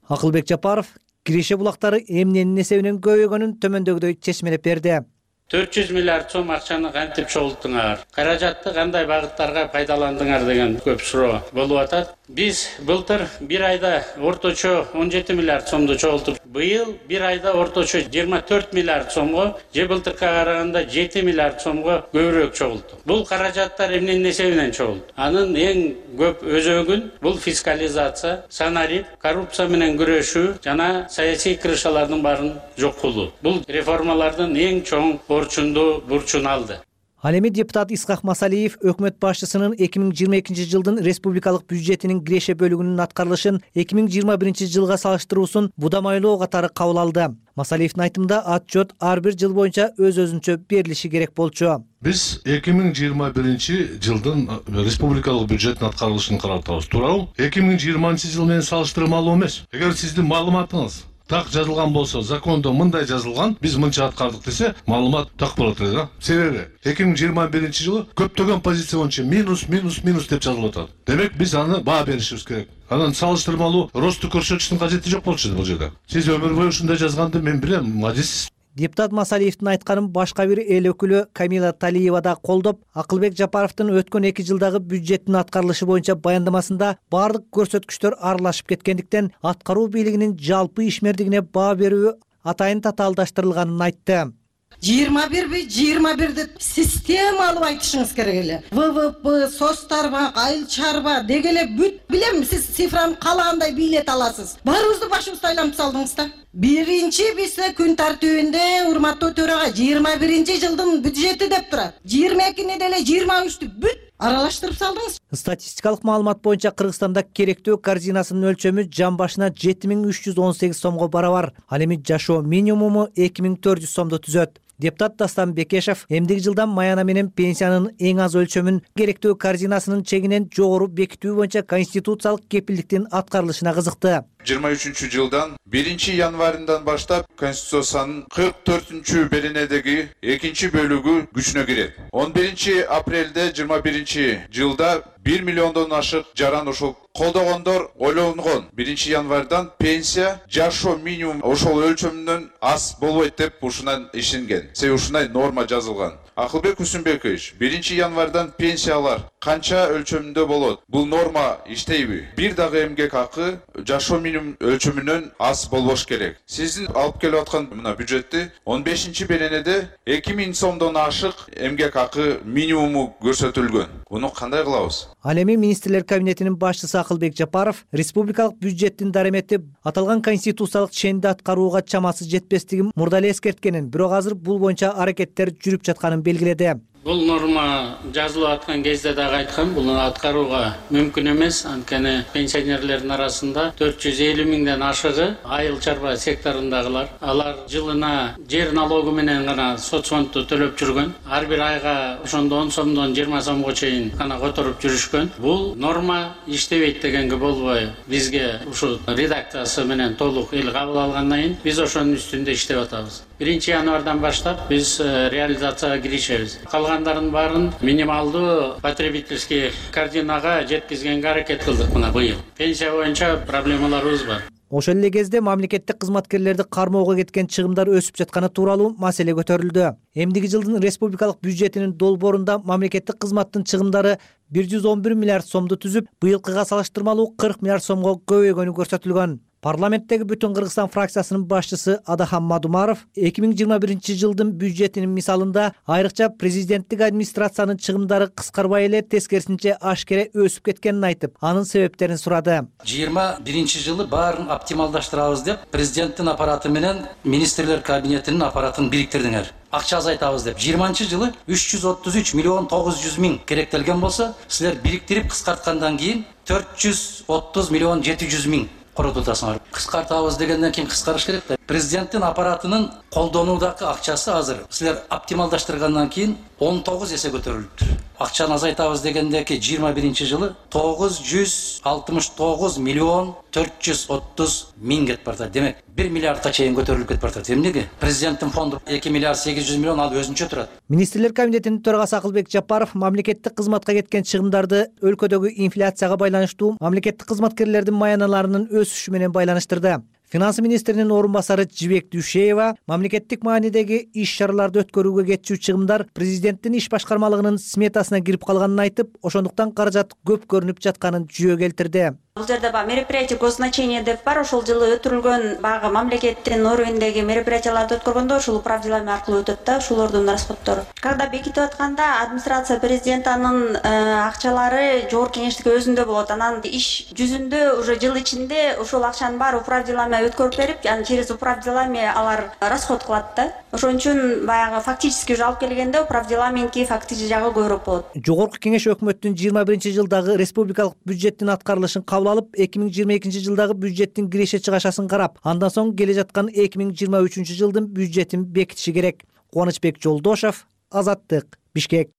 Акылбек Жапаров киреше булактары эмненин эсебинен көбөйгөнүн төмөндөгүдөй чечмелеп берди. төрт жүз миллиард сом акчаны кантип чогулттуңар, каражатты кандай багыттарга пайдаландыңар деген көп суроо болуп атат. Биз былтыр бир айда орточо он жети миллиард сомду чогултуп, быйыл бир айда орточо жыйырма төрт миллиард сомго, же былтыркы караганда жети миллиард сомго көбүрөөк чогулттук. Бул каражаттар эмненин эсебинен чогулду? Анын эң көп өзөгүн бул фискализация, санарип, коррупция менен күрөшүү жана саясий кырышалардын баарын жок кылуу. Бул реформалардын эң чоң борчунду бурчун алды. Ал эми депутат Исхак Масалиев өкмөт башчысынын эки миң жыйырма экинчи жылдын республикалык бюджетинин киреше бөлүгүнүн аткарылышын эки миң жыйырма биринчи жылга салыштыруусун будамайлоо катары кабыл алды. Масалиевдин айтымында отчет ар бир жыл боюнча өз-өзүнчө берилиши керек болчу. Биз эки миң жыйырма биринчи жылдын республикалык бюджеттин аткарылышын карап атабыз. Туурабы? эки миң жыйырманчы жыл менен салыштырмалуу эмес. Эгер сиздин маалыматыңыз так жазылган болсо, закондо мындай жазылган, биз мынча аткардык десе, маалымат так болот эле да. Себеби эки миң жыйырма биринчи жылы көптөгөн позиция боюнча минус, минус, минус деп жазылып атат. Демек биз аны баа беришибиз керек. Анан салыштырмалуу росту көрсөтүштүн кажети жок болчу бул жерде. Сиз өмүр бою ушундай жазганды мен билем, мажис. Депутат Масалиевдин айтканын башка бир эл өкүлү Камила Талиева да колдоп, Акылбек Жапаровдун өткөн эки жылдагы бюджеттин аткарылышы боюнча баяндамасында баардык көрсөткүчтөр аралашып кеткендиктен аткаруу бийлигинин жалпы ишмердигине баа берүү атайын татаалдаштырылганын айтты. жыйырма бирби жыйырма бир деп системалуу айтышыңыз керек эле. вэ вэ пэ, состарба, айыл чарба деги эле бүт билем, сиз цифраны каалагандай бийлете аласыз. Баарыбызды башыбызды айлантып салдыңыз да. Биринчи бизде күн тартибинде урматтуу төрага жыйырма биринчи жылдын бюджети деп турат. жыйырма экини деле жыйырма үчтү бүт аралаштырып салдыңыз. Статистикалык маалымат боюнча Кыргызстанда керектөө корзинасынын өлчөмү жан башына жети миң үч жүз он сегиз сомго барабар. Ал эми жашоо минимуму эки миң төрт жүз сомду түзөт. Депутат Дастан Бекешев эмдиги жылдан маяна менен пенсиянын эң аз өлчөмүн керектөө корзинасынын чегинен жогору бекитүү боюнча конституциялык кепилдиктин аткарылышына кызыкты. жыйырма үчүнчү жылдан биринчи январынан баштап Конституциянын кырк төртүнчү беренедеги экинчи бөлүгү күчүнө кирет. он биринчи апрелде жыйырма биринчи жылда бир миллиондон ашык жаран ушул колдогондор ойлонгон биринчи январдан пенсия жашоо минимум ошол өлчөмүнөн аз болбойт деп ушунан ишенген. Себеби ушундай норма жазылган. Акылбек Усунбекович биринчи январдан пенсиялар канча өлчөмүндө болот? Бул норма иштейби? Бир дагы эмгек акы жашоо минимум өлчөмүнөн аз болбош керек. Сиздин алып келип аткан мына бюджетти он бешинчи беренеде эки миң сомдон ашык эмгек акы минимуму көрсөтүлгөн. Буну кандай кылабыз? Ал эми министрлер кабинетинин башчысы Акылбек Жапаров республикалык бюджеттин даремети аталган конституциялык ченди аткарууга чамасы жетпестигин мурда эле эскерткенин, бирок азыр бул боюнча аракеттер жүрүп жатканын белгиледи. Бул норма жазылып аткан кезде дагы айткам, бул аткарууга мүмкүн эмес. Анткени пенсионерлердин арасында төрт жүз элүү миңден ашыгы айыл чарба секторундагылар. Алар жылына жер налогу менен гана соцфондду төлөп жүргөн. Ар бир айга ошондо он сомдон жыйырма сомго чейин гана которуп жүрүшкөн. Бул норма иштебейт дегенге болбой, бизге ушул редакциясы менен толук эл кабыл алгандан кийин биз ошонун үстүндө иштеп атабыз. биринчи январдан баштап биз реализацияга киришебиз. Калгандарын баарын минималдуу потребительский корзинага жеткизгенге аракет кылдык мына быйыл. Пенсия боюнча проблемаларыбыз бар. Ошол эле кезде мамлекеттик кызматкерлерди кармоого кеткен чыгымдар өсүп жатканы тууралуу маселе көтөрүлдү. Эмдиги жылдын республикалык бюджетинин долбоорунда мамлекеттик кызматтын чыгымдары бир жүз он бир миллиард сомду түзүп, быйылкыга салыштырмалуу кырк миллиард сомго көбөйгөнү көрсөтүлгөн. Парламенттеги Бүтүн Кыргызстан фракциясынын башчысы Адахан Мадумаров эки миң жыйырма биринчи жылдын бюджетинин мисалында айрыкча президенттик администрациянын чыгымдары кыскарбай эле тескерисинче ашкере өсүп кеткенин айтып, анын себептерин сурады. жыйырма биринчи жылы баарын оптималдаштырабыз деп президенттин аппараты менен министрлер кабинетинин аппаратын бириктирдиңер. Акча азайтабыз деп. жыйырманчы жылы үч жүз отуз үч миллион тогуз жүз миң керектелген болсо, силер бириктирип кыскарткандан кийин төрт жүз отуз миллион жети жүз миң коротултасыңар. Кыскартабыз дегенден кийин кыскарыш керек да. Президенттин аппаратынын колдонуудагы акчасы азыр силер оптималдаштыргандан кийин он тогуз эсе көтөрүлүптүр. Акчаны азайтабыз дегендеки жыйырма биринчи жылы тогуз жүз алтымыш тогуз миллион төрт жүз отуз миң кетип бартат. Демек, бир миллиардка чейин көтөрүлүп кетип бартат. Эмнеге? Президенттин фонду эки миллиард сегиз жүз миллион ал өзүнчө турат. Министрлер кабинетинин төрагасы Акылбек Жапаров мамлекеттик кызматка кеткен чыгымдарды өлкөдөгү инфляцияга байланыштуу мамлекеттик кызматкерлердин маяналарынын өсүшү менен байланыштырды. Финанс министринин орун басары Жибек Дүйшеева мамлекеттик маанидеги иш-чараларды өткөрүүгө кетчү чыгымдар президенттин иш башкармалыгынын сметасына кирип калганын айтып, ошондуктан каражат көп көрүнүп жатканын жүйө келтирди. Бул жерде баягы мероприятие госзначения деп бар, ошол жылы өтүрүлгөн баягы мамлекеттин уровендеги мероприятияларды өткөргөндө ушул управделами аркылуу өтөт да, ушулордун расходтору. Когда бекитип атканда администрация президентанын акчалары жогорку кеңештикке өзүндө болот. Анан иш жүзүндө уже жыл ичинде ошол акчанын баары управделами өткөрүп берип, анан через управделами алар расход кылат да. Ошон үчүн баягы фактически уже алып келгенде управделаминки фактически жагы көбүрөөк болот. Жогорку кеңеш өкмөттүн жыйырма биринчи жылдагы республикалык бюджеттин аткарылышын кабыл алып, эки миң жыйырма экинчи жылдагы бюджеттин киреше чыгашасын карап, андан соң келе жаткан эки миң жыйырма үчүнчү жылдын бюджетин бекитиши керек. Кубанычбек Жолдошов, Азаттык, Бишкек.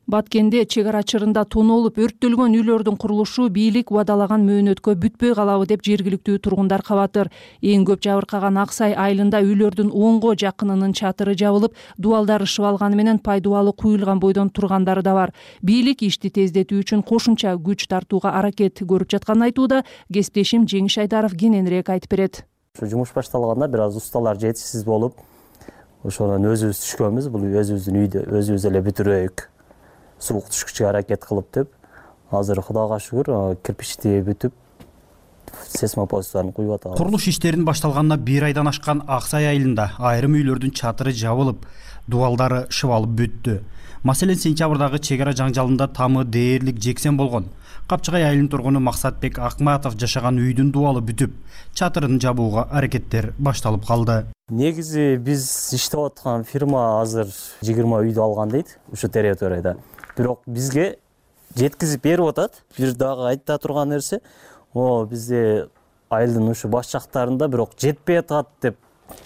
Баткенде чек ара чырында тоноолуп өрттөлгөн үйлөрдүн курулушу бийлик убадалаган мөөнөткө бүтпөй калабы деп жергиликтүү тургундар кабатыр. Эң көп жабыркаган Аксай айылында үйлөрдүн онго жакынынын чатыры жабылып, дубалдары ышып алганы менен пайдубалы куюлган бойдон тургандары да бар. Бийлик ишти тездетүү үчүн кошумча күч тартууга аракет көрүп жатканын айтууда. Кесиптешим Жеңиш Айдаров кененирээк айтып берет. Жумуш башталганда бир аз усталар жетишсиз болуп, ошондон өзүбүз түшкөнбүз. Бул өзүбүздүн үйдө өзүбүз эле бүтүрөйүк. Суук түшкүчкө аракет кылып деп, азыр Кудайга шүгүр кирпичти бүтүп, сейсмопостарын куюп атабыз. Курулуш иштерин башталганына бир айдан ашкан Аксай айылында айрым үйлөрдүн чатыры жабылып, дубалдары шыбалып бүттү. Маселен, сентябрдагы чек ара жаңжалында тамы дээрлик жексен болгон. Капчыгай айылынын тургуну Максатбек Акматов жашаган үйдүн дубалы бүтүп, чатырын жабууга аракеттер башталып калды. Негизи биз иштеп аткан фирма азыр жыйырма үйдү алган дейт, ушу территорияда. Бирок бизге жеткизип берип атат. Бир дагы айта турган нерсе, о бизде айылдын ушу баш жактарында бирок жетпей атат деп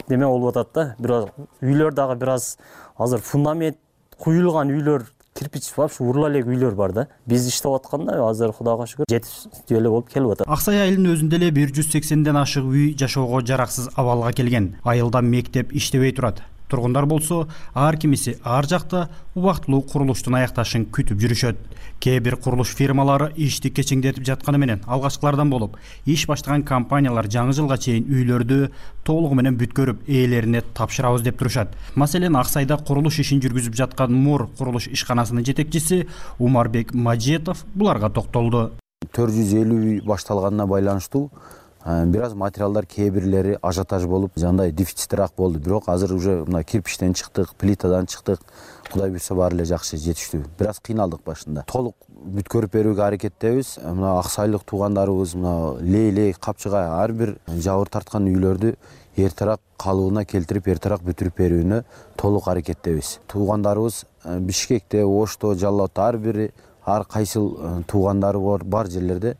неме болуп атат да. Бирок үйлөр дагы бир аз азыр фундамент куюлган үйлөр, кирпич вообще урла элек үйлөр бар да. Биз иштеп атканда азыр Кудайга шүгүр жетиштүү эле болуп келип атат. Аксай айылынын өзүндө эле бир жүз сексенден ашык үй жашоого жараксыз абалга келген. Айылда мектеп иштебей турат. тургундар болсо ар кимиси ар жакта убактылуу курулуштун аякташын күтүп жүрүшөт. Кээ бир курулуш фирмалары ишти кечиңдетип жатканы менен алгачкылардан болуп, иш баштаган компаниялар жаңы жылга чейин үйлөрдү толугу менен бүткөрүп ээлерине тапшырабыз деп турушат. Маселен, Аксайда курулуш ишин жүргүзүп жаткан Мур курулуш ишканасынын жетекчиси Умарбек Мажетов буларга токтолду. төрт жүз элүү үй башталганына байланыштуу бир аз материалдар кээ бирлери ажиотаж болуп, жандай дефициттирээк болду. Бирок азыр уже мына кирпичтен чыктык, плитадан чыктык. Кудай буйрса баары эле жакшы жетиштүү. Бир аз кыйналдык башында. Толук бүткөрүп берүүгө аракеттебиз. Мына аксайлык туугандарыбыз мына лей-лей капчыгай ар бир жабыр тарткан үйлөрдү эртерээк калыбына келтирип, эртерээк бүтүрүп берүүнө толук аракеттебиз. Туугандарыбыз Бишкекте, Ошто, Жалал Абадта ар бири ар кайсыл туугандары бар жерлерде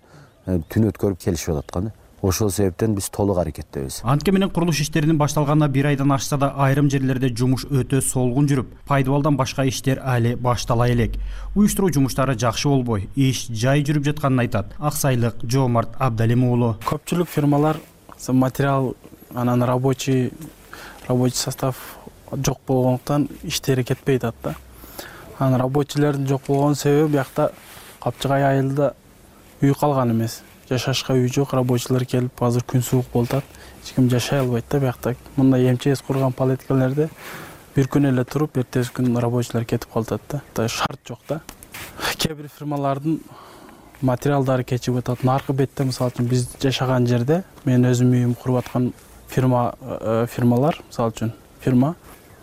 түн өткөрүп келишип аткан. Ошол себептен биз толук аракеттебиз. Антке менен курулуш иштеринин башталганына бир айдан ашса да айрым жерлерде жумуш өтө солгун жүрүп, пайдубалдан башка иштер али баштала элек. Уюштуруу жумуштары жакшы болбой, иш жай жүрүп жатканын айтат аксайлык Жоомарт Абдалим уулу. Көпчүлүк фирмалар материал, анан рабочий рабочий состав жок болгондуктан иштери кетпей атат да. Анан рабочийлердин жок болгон себеби биякта Капчыгай айылда үй калган эмес. Жашашка үй жок, рабочийлер келип, азыр күн суук болуп атат. Эч ким жашай албайт да биякта. Мындай эмчес курган палеткалерде бир күн эле туруп, эртеси күн рабочийлер кетип калат да. Шарт жок да. Кээ бир фирмалардын материалдары кечип атат. Наркы бетте, мисалы үчүн биз жашаган жерде, мен өзүм үйүм куруп аткан фирма фирмалар, мисалы үчүн фирма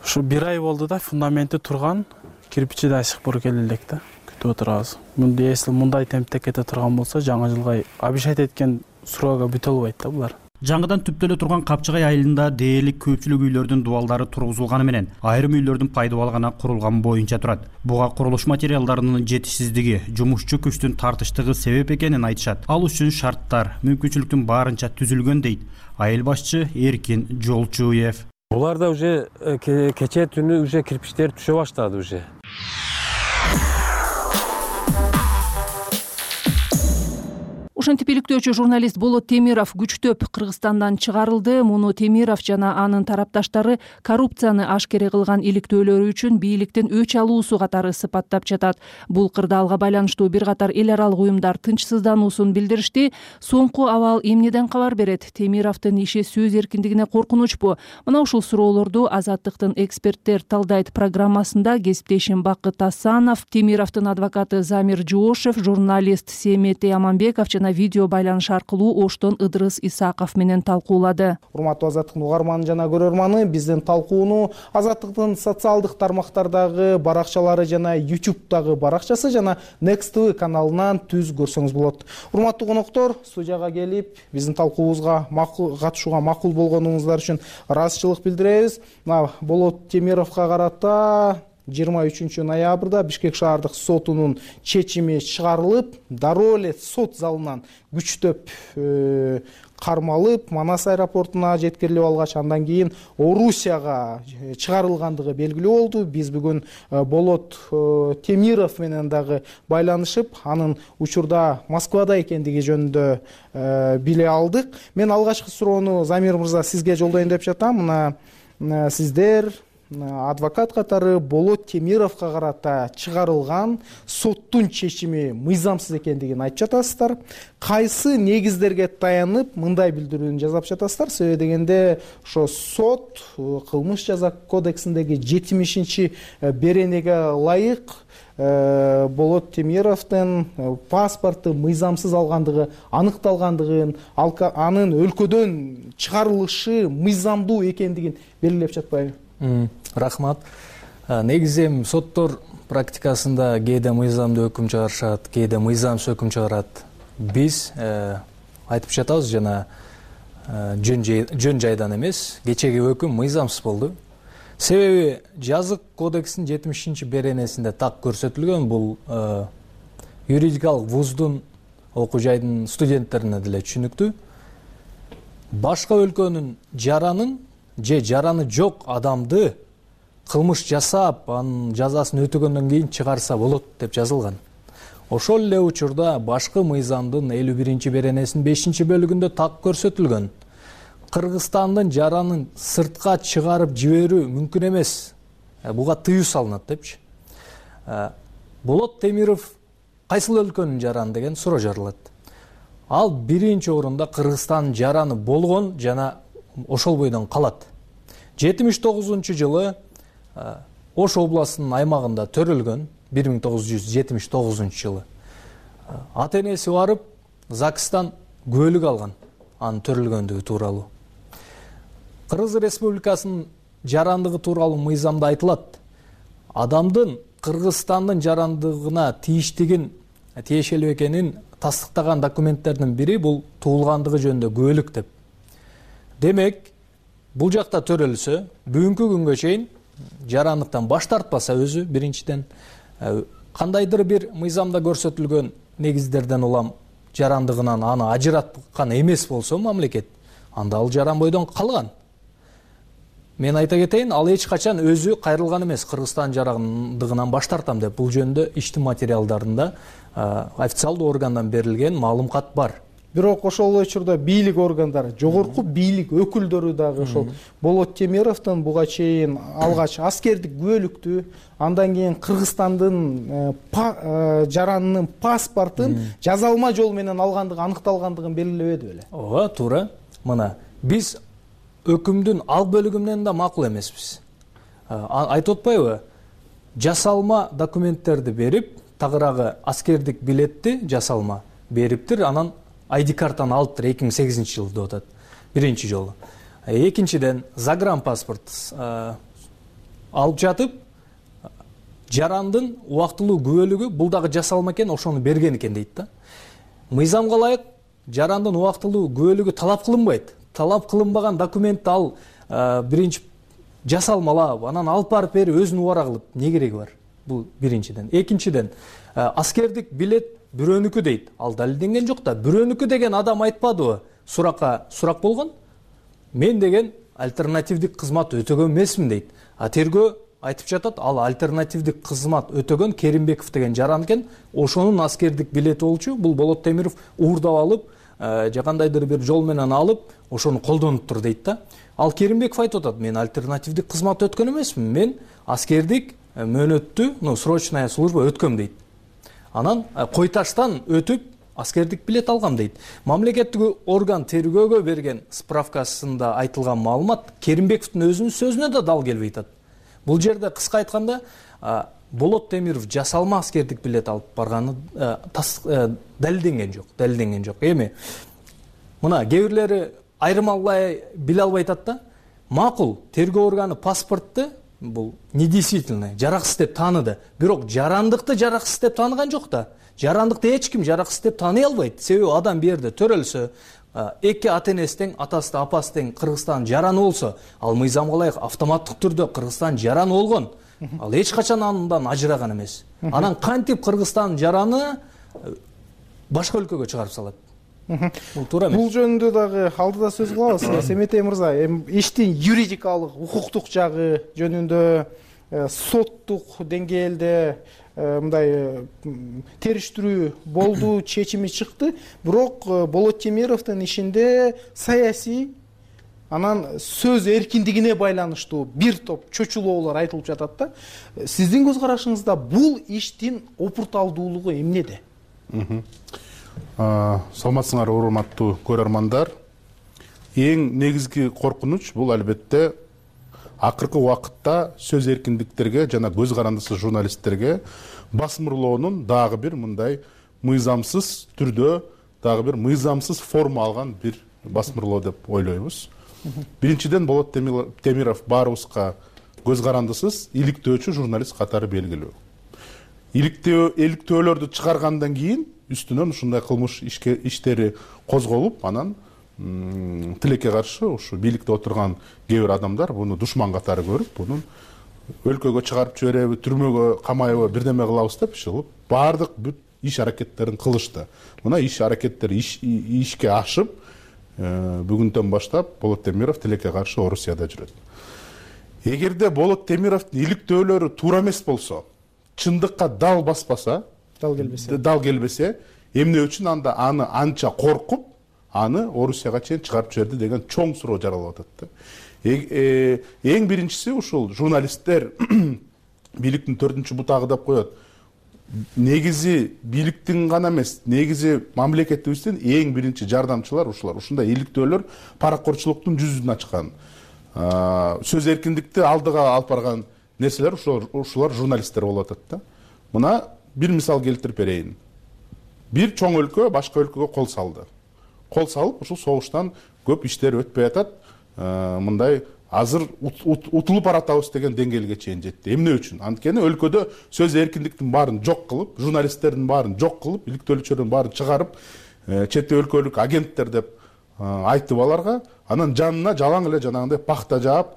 ушу бир ай болду да, фундаменти турган, кирпичи да сыпыр келе элек да. Күтүп отурабыз. Мындай эсли мындай темпте кете турган болсо, жаңы жылга обещать эткен сроога бүтө албайт да булар. Жаңыдан түптөлө турган Капчыгай айылында дээрлик көпчүлүк үйлөрдүн дубалдары тургузулганы менен айрым үйлөрдүн пайдубалы гана курулган боюнча турат. Буга курулуш материалдарынын жетишсиздиги, жумушчу күчтүн тартыштыгы себеп экенин айтышат. Ал үчүн шарттар мүмкүнчүлүктүн баарынча түзүлгөн дейт айыл башчы Эркин Жолчуев. Буларда уже кече түнү уже кирпичтер түшө баштады уже. Ошентип иликтөөчү журналист Болот Темиров күчтөп Кыргызстандан чыгарылды. Муну Темиров жана анын тарапташтары коррупцияны ашкере кылган иликтөөлөрү үчүн бийликтен өч алуусу катары сыпаттап жатат. Бул кырдаалга байланыштуу бир катар эл аралык уюмдар тынчсыздануусун билдиришти. Соңку абал эмнеден кабар берет? Темировдун иши сөз эркиндигине коркунучпу? Мына ушул суроолорду Азаттыктын эксперттер талдайт программасында кесиптешим Бакыт Асанов, Темировдун адвокаты Замир Жоошев, журналист Семетей Аманбеков жана видео байланыш аркылуу Оштон Ыдырыс Исаков менен талкуулады. Урматтуу Азаттыктын угарманы жана көрөрманы, биздин талкууну Азаттыктын социалдык тармактардагы баракчалары жана YouTube'дагы баракчасы жана Next ти ви каналынан түз көрсөңүз болот. Урматтуу коноктор, студияга келип, биздин талкуубузга макул катышууга макул болгонуңуздар үчүн ыраазычылык билдиребиз. Мына Болот Темировго карата жыйырма үчүнчү ноябрда Бишкек шаардык сотунун чечими чыгарылып, дароо эле сот залынан күчтөп кармалып, Манас аэропортуна жеткирилип алгач, андан кийин Орусияга чыгарылгандыгы белгилүү болду. Биз бүгүн Болот Темиров менен дагы байланышып, анын учурда Москвада экендиги жөнүндө биле алдык. Мен алгачкы суроону Замир мырза сизге жолдоюн деп жатам. Мына сиздер адвокат катары Болот Темировго карата чыгарылган соттун чечими мыйзамсыз экендигин айтып жатасыздар. Кайсы негиздерге таянып мындай билдирүүнү жасап жатасыздар? Себеби дегенде ошо сот кылмыш жаза кодексиндеги жетимишинчи беренеге ылайык Болот Темировдун паспорту мыйзамсыз алгандыгы аныкталгандыгын, анын өлкөдөн чыгарылышы мыйзамдуу экендигин белгилеп жатпайбы? Рахмат. Негизи соттор практикасында кээде мыйзамдуу өкүм чыгарышат, кээде мыйзамсыз өкүм чыгарат. Биз айтып жатабыз жана жөн жайдан эмес, кечеги өкүм мыйзамсыз болду. Себеби жазык кодекстин жетимишинчи беренесинде так көрсөтүлгөн, бул юридикалык вуздун окуу жайдын студенттерине деле түшүнүктүү. Башка өлкөнүн жаранын же жараны жок адамды кылмыш жасап, анын жазасын өтөгөндөн кийин чыгарса болот деп жазылган. Ошол эле учурда башкы мыйзамдын элүү биринчи беренесинин бешинчи бөлүгүндө так көрсөтүлгөн. Кыргызстандын жаранын сыртка чыгарып жиберүү мүмкүн эмес. Буга тыюу салынат депчи. Болот Темиров кайсыл өлкөнүн жараны деген суроо жарылат. Ал биринчи орунда Кыргызстандын жараны болгон жана ошол бойдон калат. жетимиш тогузунчу жылы Ош областынын аймагында төрөлгөн, бир миң тогуз жүз жетимиш тогузунчу жылы. Ата энеси барып ЗАГСтан күбөлүк алган анын төрөлгөндүгү тууралуу. Кыргыз Республикасынын жарандыгы тууралуу мыйзамда айтылат. Адамдын Кыргызстандын жарандыгына тийиштигин, тиешелүү экенин тастыктаган документтердин бири бул туулгандыгы жөнүндө күбөлүк деп. Демек, бул жакта төрөлсө, бүгүнкү күнгө чейин жарандыктан баш тартпаса өзү биринчиден кандайдыр бир мыйзамда көрсөтүлгөн негиздерден улам жарандыгынан аны ажыраткан эмес болсо мамлекет, анда ал жаран бойдон калган. Мен айта кетейин, ал эч качан өзү кайрылган эмес, Кыргызстан жарандыгынан баш тартам деп. Бул жөнүндө иштин материалдарында официалдуу органдан берилген маалымат бар. Бирок ошол учурда бийлик органдары, жогорку бийлик өкүлдөрү дагы ошол Болот Темировдун буга чейин алгач аскердик күбөлүктү, андан кийин Кыргызстандын жаранынын паспортун жазалма жол менен алгандыгы аныкталгандыгын белгилебеди беле? Ооба, туура. Мына биз өкүмдүн ал бөлүгүнөн да макул эмеспиз. Айтып атпайбы? Жасалма документтерди берип, тагыраагы аскердик билетти жасалма бериптир, анан ай ди картаны алыптыр эки миң сегизинчи жылы деп атат. Биринчи жолу. Экинчиден загранпаспорт алып жатып, жарандын убактылуу күбөлүгү бул дагы жасалма экен, ошону берген экен дейт да. Мыйзамга ылайык жарандын убактылуу күбөлүгү талап кылынбайт. Талап кылынбаган документти ал биринчи жасалмалап, анан алып барып берип өзүнүн убара кылып не кереги бар? Бул биринчиден. Экинчиден, аскердик билет бирөөнүкү дейт. Ал далилденген жок да. Бирөөнүкү деген адам айтпадыбы? Суракка сурак болгон. Мен деген альтернативдик кызмат өтөгөн эмесмин дейт. А тергөө айтып жатат, ал альтернативдик кызмат өтөгөн Керимбеков деген жаран экен. Ошонун аскердик билети болчу. Бул Болот Темиров уурдап алып, же кандайдыр бир жол менен алып, ошону колдонуптур дейт да. Ал Керимбеков айтып атат, мен альтернативдик кызмат өткөн эмесмин. Мен аскердик мөөнөттү, ну, срочная служба өткөм дейт. Анан Койташтан өтүп аскердик билет алгам дейт. Мамлекеттик орган тергөөгө берген справкасында айтылган маалымат Керимбековдун өзүнүн сөзүнө да дал келбей атат. Бул жерде кыска айтканда Болот Темиров жасалма аскердик билет алып барганы далилденген жок, далилденген жок. Эми мына кээ бирлери айырмалай биле албай атат да. Макул, тергөө органы паспортты бул недействительный, жараксыз деп тааныды. Бирок жарандыкты жараксыз деп тааныган жок да. Жарандыкты эч ким жараксыз деп тааный албайт. Себеби адам бу жерде төрөлсө, эки ата энеси тең, атасы да апасы тең Кыргызстан жараны болсо, ал мыйзамга ылайык автоматтык түрдө Кыргызстан жараны болгон. Ал эч качан андан ажыраган эмес. Анан кантип Кыргызстан жараны башка өлкөгө чыгарып салат? Бул туура эмес. Бул жөнүндө дагы алдыда сөз кылабыз. Семетей мырза, иштин юридикалык, укуктук жагы жөнүндө соттук деңгээлде мындай териштирүү болду, чечими чыкты. Бирок Болот Темировдун ишинде саясий анан сөз эркиндигине байланыштуу бир топ чочулоолор айтылып жатат да. Сиздин көз карашыңызда бул иштин опурталдуулугу эмнеде? Саламатсыңар, урматтуу көрөрмандар. Эң негизги коркунуч бул албетте акыркы убакытта сөз эркиндиктерге жана көз карандысыз журналисттерге басмырлоонун дагы бир мындай мыйзамсыз түрдө, дагы бир мыйзамсыз форма алган бир басмырлоо деп ойлойбуз. Биринчиден, Болот Темиров баарыбызга көз карандысыз иликтөөчү журналист катары белгилүү. Иликтөө иликтөөлөрдү чыгаргандан кийин үстүнөн ушундай кылмыш иштери козголуп, анан тилекке каршы ушу бийликте отурган кээ бир адамдар буну душман катары көрүп, бунун өлкөгө чыгарып жибереби, түрмөгө камайбы, бирдеме кылабыз деп чыгып, баардык бүт иш аракеттерин кылышты. Мына иш аракеттер ишке ашып, бүгүндөн баштап Болот Темиров тилекке каршы Орусияда жүрөт. Эгерде Болот Темировдун иликтөөлөрү туура эмес болсо, чындыкка дал баспаса, дал келбесе, дал келбесе, эмне үчүн анда аны анча коркуп, аны Орусияга чейин чыгарып жиберди деген чоң суроо жаралып атат да. Эң биринчиси ушул журналисттер бийликтин төртүнчү бутагы деп коет. Негизи бийликтин гана эмес, негизи мамлекетибиздин эң биринчи жардамчылар ушулар. Ушундай иликтөөлөр паракорчулуктун жүзүн ачкан, сөз эркиндикти алдыга алып барган нерселер ушулар журналисттер болуп атат да. Мына бир мисал келтирип берейин. Бир чоң өлкө башка өлкөгө кол салды. Кол салып, ушул согуштан көп иштер өтпөй атат. Мындай азыр утулуп баратабыз деген деңгээлге чейин жетти. Эмне үчүн? Анткени өлкөдө сөз эркиндиктин баарын жок кылып, журналисттердин баарын жок кылып, иликтөөлүчүлөрдүн баарын чыгарып, чет өлкөлүк агенттер деп айтып аларга, анан жанына жалаң эле жанагындай пахта жаап,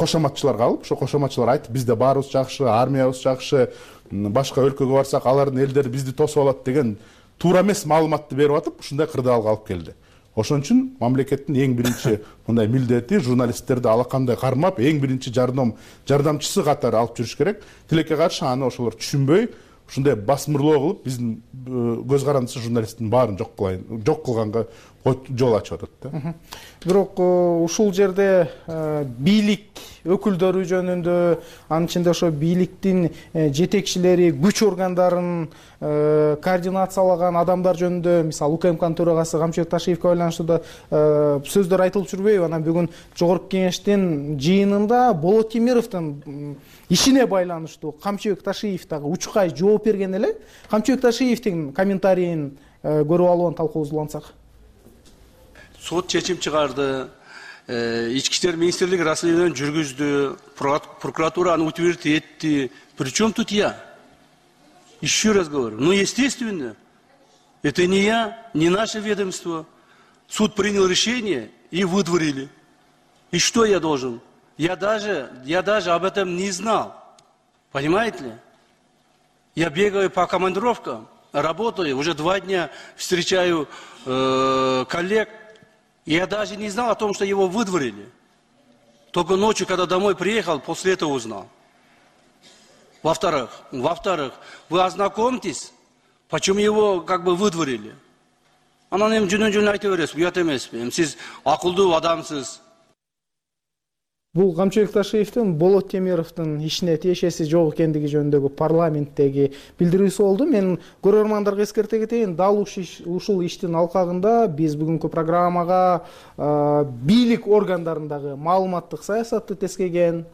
кошоматчылар калып, ошо кошоматчылар айтып, бизде баарыбыз жакшы, армиябыз жакшы, башка өлкөгө барсак алардын элдери бизди тосуп алат деген туура эмес маалыматты берип атып, ушундай кырдаалга алып келди. Ошон үчүн мамлекеттин эң биринчи мындай милдети журналисттерди алакандай кармап, эң биринчи жардам жардамчысы катары алып жүрүш керек. Тилекке каршы аны ошолор түшүнбөй, ушундай басмырлоо кылып, биздин көз карандысы журналисттин баарын жок кылайын, жок кылганга жол ачып атат да. Бирок ушул жерде бийлик өкүлдөрү жөнүндө, анын ичинде ошо бийликтин жетекчилери, күч органдарын координациялаган адамдар жөнүндө, мисалы УКМКнын төрагасы Камчыбек Ташиевке байланыштуу да сөздөр айтылып жүрбөйбү? Анан бүгүн жогорку кеңештин жыйынында Болот Темировдун ишине байланыштуу Камчыбек Ташиев дагы учкай жооп берген эле. Камчыбек Ташиевдин комментарийин көрүп алып талкуубузду улантсак. Сот чечим чыгарды, ички иштер министрлиги расследование жүргүздү, прокуратура аны утвердить этти. Причем тут я? Еще раз говорю, ну естественно, это не я, не наше ведомство. Суд принял решение и выдворили. И что я должен? Я даже, я даже об этом не знал. Понимаете ли? Я бегаю по командировкам, работаю, уже два дня встречаю э, коллег. Я даже не знал о том, что его выдворили. Только ночью, когда домой приехал, после этого узнал. Во-вторых, во-вторых, вы ознакомьтесь, почему его как бы выдворили. Анан эми жөнөн-жөнөн айта бересиз, уят эмеспи? Сиз акылдуу адамсыз. Бул Камчыбек Ташиевдин Болот Темировдун ишине тиешеси жок экендиги жөнүндөгү парламенттеги билдирүүсү болду. Мен көрөрмандарга эскерте кетейин, дал ушул иштин алкагында биз бүгүнкү программага бийлик органдарындагы маалыматтык саясатты тескеген,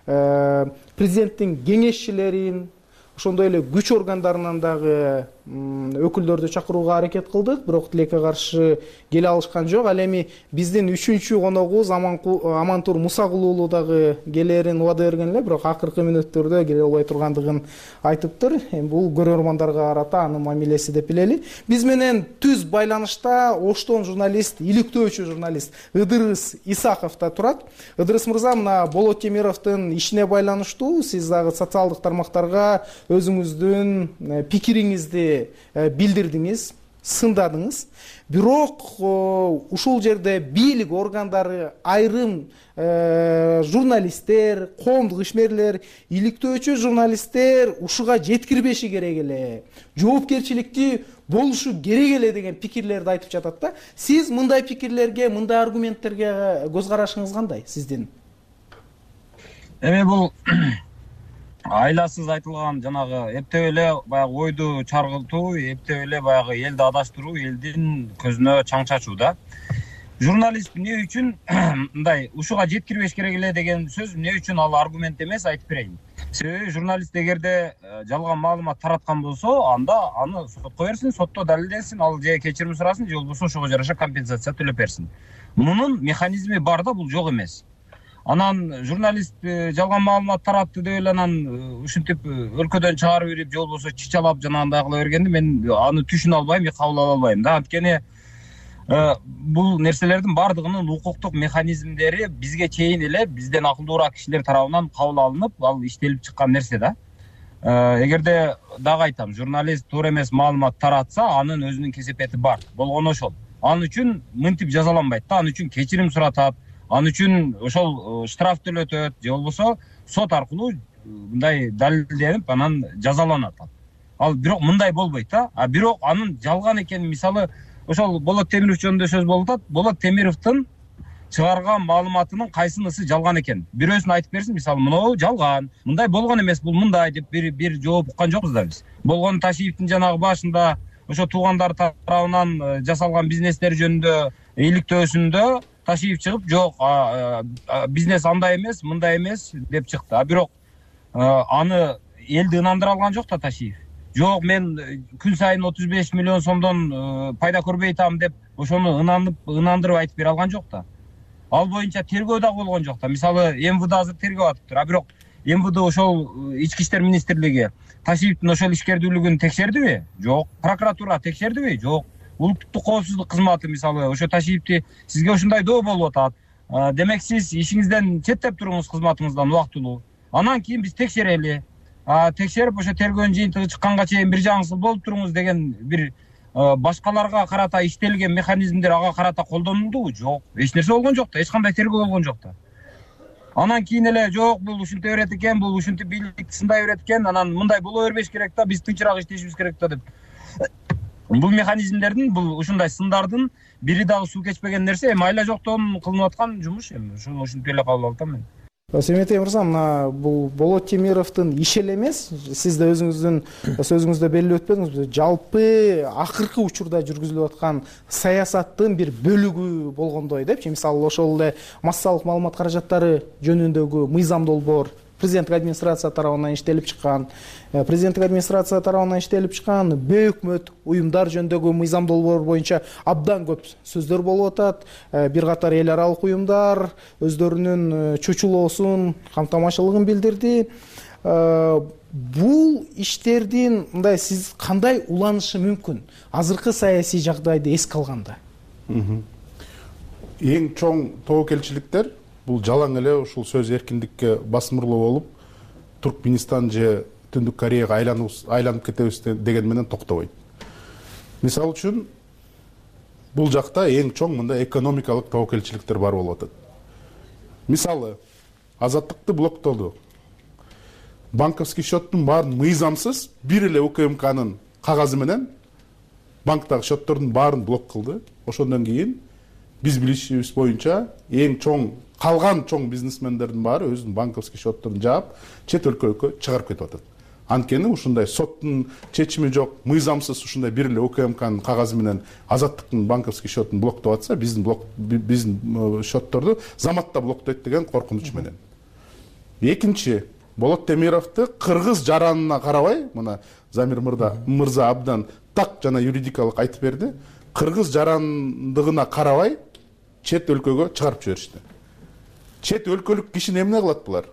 президенттин кеңешчилерин, ошондой эле күч органдарынан дагы өкүлдөрдү чакырууга аракет кылдык, бирок тилекке каршы келе алышкан жок. Ал эми биздин үчүнчү коногубуз Амантур Мусагул уулу дагы келерин убада берген эле, бирок акыркы мүнөттөрдө келе албай тургандыгын айтыптыр. Эми бул көрөрмандарга карата анын мамилеси деп билели. Биз менен түз байланышта Оштон журналист, иликтөөчү журналист Ыдырыс Исаков да турат. Ыдырыс мырза, мына Болот Темировдун ишине байланыштуу сиз дагы социалдык тармактарга өзүңүздүн пикириңизди билдирдиңиз, сындадыңыз. Бирок ушул жерде бийлик органдары, айрым журналисттер, коомдук ишмерлер, иликтөөчү журналисттер ушуга жеткирбеши керек эле, жоопкерчиликти болушу керек эле деген пикирлерди айтып жатат да. Сиз мындай пикирлерге, мындай аргументтерге көз карашыңыз кандай сиздин? Эми бул айласыз айтылган жанагы эптеп эле баягы ойду чаргылтуу, эптеп эле баягы элди адаштыруу, элдин көзүнө чаң чачуу да. Журналист эмне үчүн мындай ушуга жеткирбеш керек эле деген сөз эмне үчүн ал аргумент эмес, айтып берейин. Себеби журналист эгерде жалган маалымат тараткан болсо, анда аны сотко берсин, сотто далилденсин, ал же кечирим сурасын, же болбосо ошого жараша компенсация төлөп берсин. Мунун механизми бар да, бул жок эмес. Анан журналист жалган маалымат таратты деп эле анан ушинтип өлкөдөн чыгарып берип, же болбосо чычалап жанагындай кыла бергенди мен аны түшүнө албайм, кабыл ала албайм да. Анткени бул нерселердин баардыгынын укуктук механизмдери бизге чейин эле бизден акылдуураак кишилер тарабынан кабыл алынып, ал иштелип чыккан нерсе да. Эгерде дагы айтам, журналист туура эмес маалымат таратса, анын өзүнүн кесепети бар. Болгону ошол. Ал үчүн мынтип жазаланбайт да, ал үчүн кечирим суратат. Ал үчүн ошол штраф төлөтөт, же болбосо сот аркылуу мындай далилденип анан жазаланат. Ал бирок мындай болбойт да. А бирок анын жалган экенин, мисалы, ошол Болот Темиров жөнүндө сөз болуп атат. Болот Темировдун чыгарган маалыматынын кайсынысы жалган экен? Бирөөсүн айтып берсин, мисалы, мынау жалган, мындай болгон эмес, бул мындай деп бир бир жооп уккан жокпуз да биз. Болгон Ташиевдин жанагы башында ошо туугандар тарабынан жасалган бизнестер жөнүндө иликтөөсүндө Ташиев чыгып, жок, бизнес андай эмес, мындай эмес деп чыкты. А бирок аны элди ынандыра алган жок да Ташиев. Жок, мен күн сайын отуз беш миллион сомдон пайда көрбөй атам деп ошону ынанып ынандырып айтып бере алган жок да. Ал боюнча тергөө да болгон жок да. Мисалы, эм вэ дэ азыр тергөө атыптыр. А бирок эм вэ дэ ошол ички иштер министрлиги Ташиевдин ошол ишкердүүлүгүн текшердиби? Жок. Прокуратура текшердиби? Жок. Улуттук коопсуздук кызматы мисалы ошо Ташиевди сизге ушундай доо болуп атат. Демек сиз ишиңизден четтеп туруңуз, кызматыңыздан убактылуу. Анан кийин биз текшерели. Текшерип ошо тергөөнүн жыйынтыгы чыкканга чейин бир жагыңсыз болуп туруңуз деген бир башкаларга карата иштелген механизмдер ага карата колдонулдубу? Жок. Эч нерсе болгон жок да, эч кандай тергөө болгон жок да. Анан кийин эле жок, бул ушинте берет экен, бул ушинтип бийликти сындай берет экен, анан мындай боло бербеш керек да, биз тынчыраак иштешибиз керек да деп. Бул механизмдердин, бул ушундай сындардын бири дагы суу кечпеген нерсе, эми айла жоктон кылынып аткан жумуш, эми ошону ушинтип эле кабыл алып атам мен. Семетей мырза, мына бул Болот Темировдун иши эле эмес, сиз да өзүңүздүн сөзүңүздө белгилеп өттүңүз, жалпы акыркы учурда жүргүзүлүп аткан саясаттын бир бөлүгү болгондой депчи. Мисалы, ошол эле массалык маалымат каражаттары жөнүндөгү мыйзам долбоор президенттик администрация тарабынан иштелип чыккан, президенттик администрация тарабынан иштелип чыккан бейөкмөт уюмдар жөнүндөгү мыйзам долбоор боюнча абдан көп сөздөр болуп атат. Бир катар эл аралык уюмдар өздөрүнүн чочулоосун, камтамашылыгын билдирди. Бул иштердин мындай сиз кандай уланышы мүмкүн азыркы саясий жагдайды эске алганда? Эң чоң тобокелчиликтер бул жалаң эле ушул сөз эркиндикке басымырлоо болуп, Туркменистан же Түндүк Кореяга айланып кетебиз деген менен токтобойт. Мисалы үчүн, бул жакта эң чоң мындай экономикалык тобокелчиликтер бар болуп атат. Мисалы, Азаттыкты блоктоду. Банковский счеттун баарын мыйзамсыз бир эле У К М К'нын кагазы менен банктагы счеттордун баарын блок кылды. Ошондон кийин биз билишибиз боюнча эң чоң калган чоң бизнесмендердин баары өзүнүн банковский счетторун жаап, чет өлкөгө чыгарып кетип атат. Анткени ушундай соттун чечими жок, мыйзамсыз ушундай бир эле У К М К'нын кагазы менен Азаттыктын банковский счетун блоктоп атса, биздин блок биздин счетторду заматта блоктойт деген коркунуч менен. Экинчи, Болот Темировду кыргыз жаранына карабай, мына Замир мырза абдан так жана юридикалык айтып берди. Кыргыз жарандыгына карабай чет өлкөгө чыгарып жиберишти. Чет өлкөлүк кишини эмне кылат булар?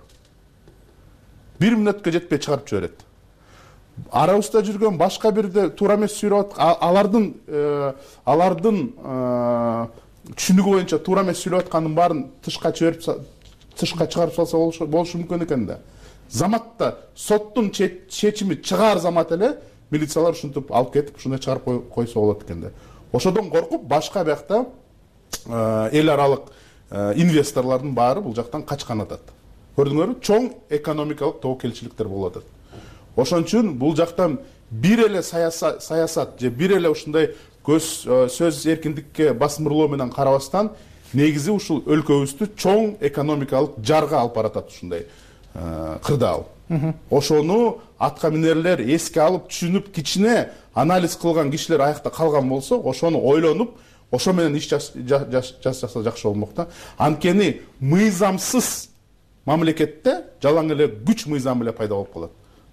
Бир мүнөткө жетпей чыгарып жиберет. Арабызда жүргөн башка бирде туура эмес сүйлөп аткан, алардын алардын түшүнүгү боюнча туура эмес сүйлөп аткандын баарын тышка чыгарып тышка чыгарып салса болушу мүмкүн экен да. Заматта соттун чечими чыгаар замат эле милициялар ушинтип алып кетип, ушундай чыгарып койсо болот экен да. Ошодон коркуп, башка биякта эл аралык инвесторлордун баары бул жактан качкан атат. Көрдүңөрбү? Чоң экономикалык тобокелчиликтер болуп атат. Ошон үчүн бул жактан бир эле саясат же бир эле ушундай көз сөз эркиндикке басымырлоо менен карабастан, негизи ушул өлкөбүздү чоң экономикалык жарга алып баратат ушундай кырдаал. Ошону атка минерлер эске алып, түшүнүп, кичине анализ кылган кишилер аякта калган болсо, ошону ойлонуп, ошо менен иш жасаса жакшы болмок да. Анткени мыйзамсыз мамлекетте жалаң эле күч мыйзамы эле пайда болуп калат.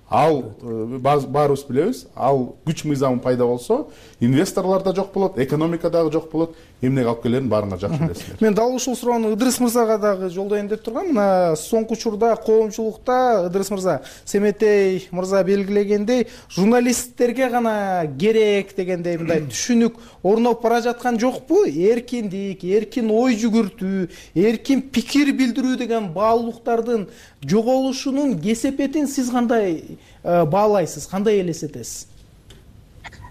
Ал баарыбыз билебиз, ал күч мыйзамы пайда болсо, инвесторлор да жок болот, экономика дагы жок болот. Эмнеге алып келерин баарыңар жакшы билесиздер. Мен дал ушул суроону Ыдырыс мырзага дагы жолдоюн деп тургам. Мына соңку учурда коомчулукта Ыдырыс мырза, Семетей мырза белгилегендей, журналисттерге гана керек дегендей мындай түшүнүк орноп бара жаткан жокпу? Эркиндик, эркин ой жүгүртүү, эркин пикир билдирүү деген баалуулуктардын жоголушунун кесепетин сиз кандай баалайсыз, кандай элестетесиз?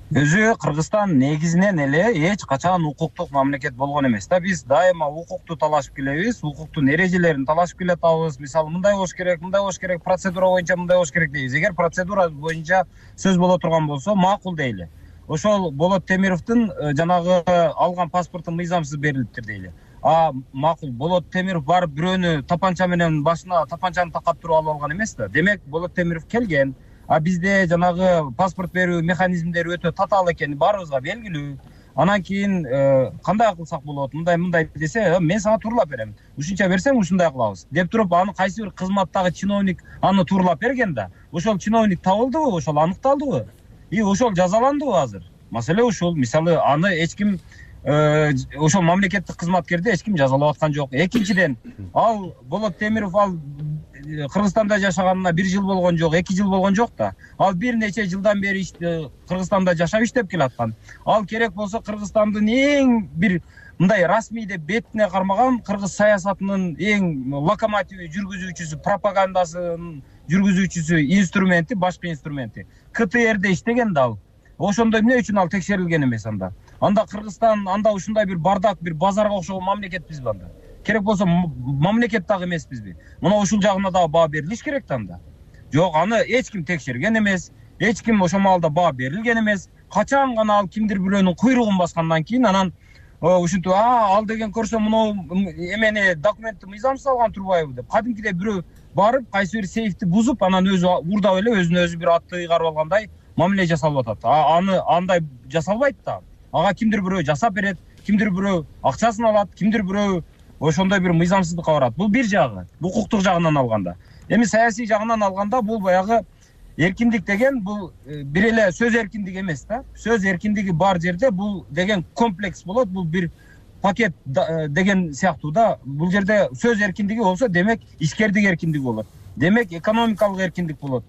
Өзү Кыргызстан негизинен эле эч качан укуктук мамлекет болгон эмес да. Биз дайыма укукту талашып келебиз, укуктун эрежелерин талашып келатабыз. Мисалы, мындай болуш керек, мындай болуш керек, процедура боюнча мындай болуш керек дейбиз. Эгер процедура боюнча сөз боло турган болсо, макул дейли. ошол Болот Темировдун жанагы алган паспорту мыйзамсыз берилиптир дейли. А макул, Болот Темиров барып бирөөнү тапанча менен башына тапанчаны такап туруп алып алган эмес да. Демек Болот Темиров келген. А бизде жанагы паспорт берүү механизмдери өтө татаал экени баарыбызга белгилүү. Анан кийин кандай кылсак болот? Мындай мындай десе, мен сага тууралап берем. Ушунча берсең ушундай кылабыз деп туруп, аны кайсы бир кызматтагы чиновник аны тууралап берген да. Ошол чиновник табылдыбы? Ошол аныкталдыбы? И ошол жазаландыбы азыр? Маселе ушул. Мисалы, аны эч ким ошол мамлекеттик кызматкерди эч ким жазалап аткан жок. Экинчиден, ал Болот Темиров ал Кыргызстанда жашаганына бир жыл болгон жок, эки жыл болгон жок да. Ал бир нече жылдан бери Кыргызстанда жашап иштеп келаткан. Ал керек болсо Кыргызстандын эң бир мындай расмий деп бетине кармаган кыргыз саясатынын эң локомотиви, жүргүзүүчүсү, пропагандасын жүргүзүүчүсү, инструменти, башкы инструменти. ка тэ эрде иштеген да ал. Ошондо эмне үчүн ал текшерилген эмес анда? Анда Кыргызстан, анда ушундай бир бардак, бир базарга окшогон мамлекетпизби анда? Керек болсо мамлекет дагы эмеспизби? Мына ушул жагына дагы баа берилиш керек да анда. Жок, аны эч ким текшерген эмес, эч ким ошол маалда баа берилген эмес. Качан гана ал кимдир бирөөнүн куйругун баскандан кийин анан ушинтип, а ал деген көрсө мына эмени документти мыйзамсыз алган турбайбы деп кадимкидей бирөө барып кайсы бир сейфти бузуп, анан өзү уурдап эле өзүнө өзү бир атты ыйгарып алгандай мамиле жасалып атат. А аны андай жасалбайт да. Ага кимдир бирөө жасап берет, кимдир бирөө акчасын алат, кимдир бирөө ошондой бир мыйзамсыздыкка барат. Бул бир жагы, укуктук жагынан алганда. Эми саясий жагынан алганда бул баягы эркиндик деген бул бир эле сөз эркиндиги эмес да. Сөз эркиндиги бар жерде бул деген комплекс болот, бул бир пакет деген сыяктуу да. Бул жерде сөз эркиндиги болсо, демек ишкердик эркиндиги болот. Демек экономикалык эркиндик болот.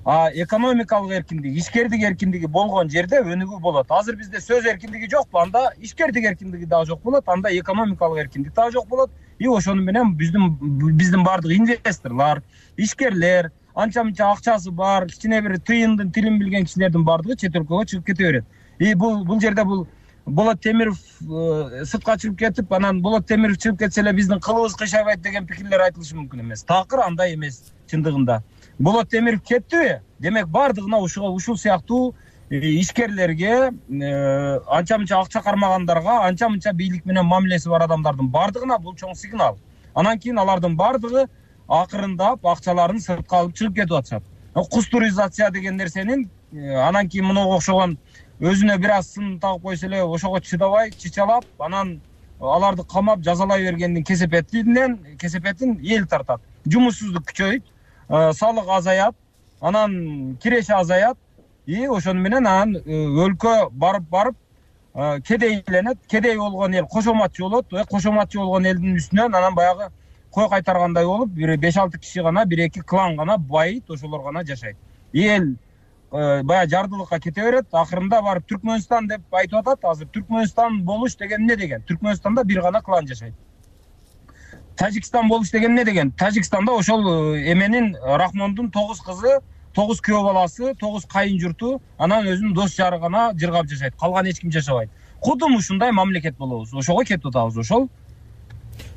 А экономикалык эркиндик, ишкердик эркиндиги болгон жерде өнүгүү болот. Азыр бизде сөз эркиндиги жокпу, анда ишкердик эркиндиги дагы жок болот, анда экономикалык эркиндик дагы жок болот. И ошону менен биздин биздин бардык инвесторлор, ишкерлер, анча-мынча акчасы бар, кичине бир тыйындын тилин билген кишилердин бардыгы чет өлкөгө чыгып кете берет. И бул бул жерде бул Болот Темиров сыртка чыгып кетип, анан Болот Темиров чыгып кетсе эле биздин кылыбыз кыйшабайт деген пикирлер айтылышы мүмкүн эмес. Такыр андай эмес чындыгында. Болот Темиров кеттиби? Демек бардыгына ушул ушул сыяктуу ишкерлерге, анча-мынча акча кармагандарга, анча-мынча бийлик менен мамилеси бар адамдардын бардыгына бул чоң сигнал. Анан кийин алардын бардыгы акырындап акчаларын сыртка алып чыгып кетип атышат. Кустуризация деген нерсенин анан кийин мынага окшогон өзүнө бир аз сын тагып койсо эле ошого чыдабай, чычалап, анан аларды камап жазалай бергендин кесепетинен кесепетин эл тартат. Жумушсуздук күчөйт, салык азаят, анан киреше азаят. И ошону менен анан өлкө барып барып кедейленет, кедей болгон эл кошоматчы болот, кошоматчы болгон элдин үстүнөн анан баягы кой кайтаргандай болуп, бир беш алты киши гана, бир эки клан гана байыт, ошолор гана жашайт. Эл баягы жардылыкка кете берет, акырында барып Түркмөнстан деп айтып атат. Азыр Түркмөнстан болуш деген эмне деген? Түркмөнстанда бир гана клан жашайт. Тажикстан болуш деген эмне деген? Тажикстанда ошол эменин Рахмондун тогуз кызы, тогуз күйөө баласы, тогуз кайын журту, анан өзүнүн дос жары гана жыргап жашайт. Калган эч ким жашабайт. Кудум ушундай мамлекет болобуз. Ошого кетип атабыз ошол.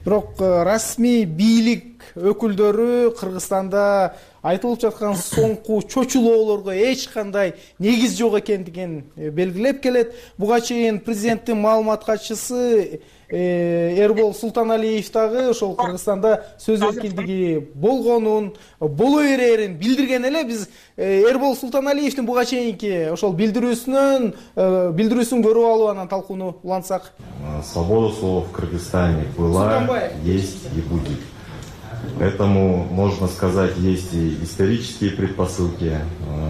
Бирок расмий бийлик өкүлдөрү Кыргызстанда айтылып жаткан соңку чочулоолорго эч кандай негиз жок экендигин белгилеп келет. Буга чейин президенттин маалымат катчысы Эрбол Султаналиев дагы ошол Кыргызстанда сөз эркиндиги болгонун, боло берерин билдирген эле. Биз Эрбол Султаналиевдин буга чейинки ошол билдирүүсүнөн билдирүүсүн көрүп алып анан талкууну улантсак. Свобода слова в Кыргызстане была, есть и будет. Поэтому, можно сказать, есть и исторические предпосылки.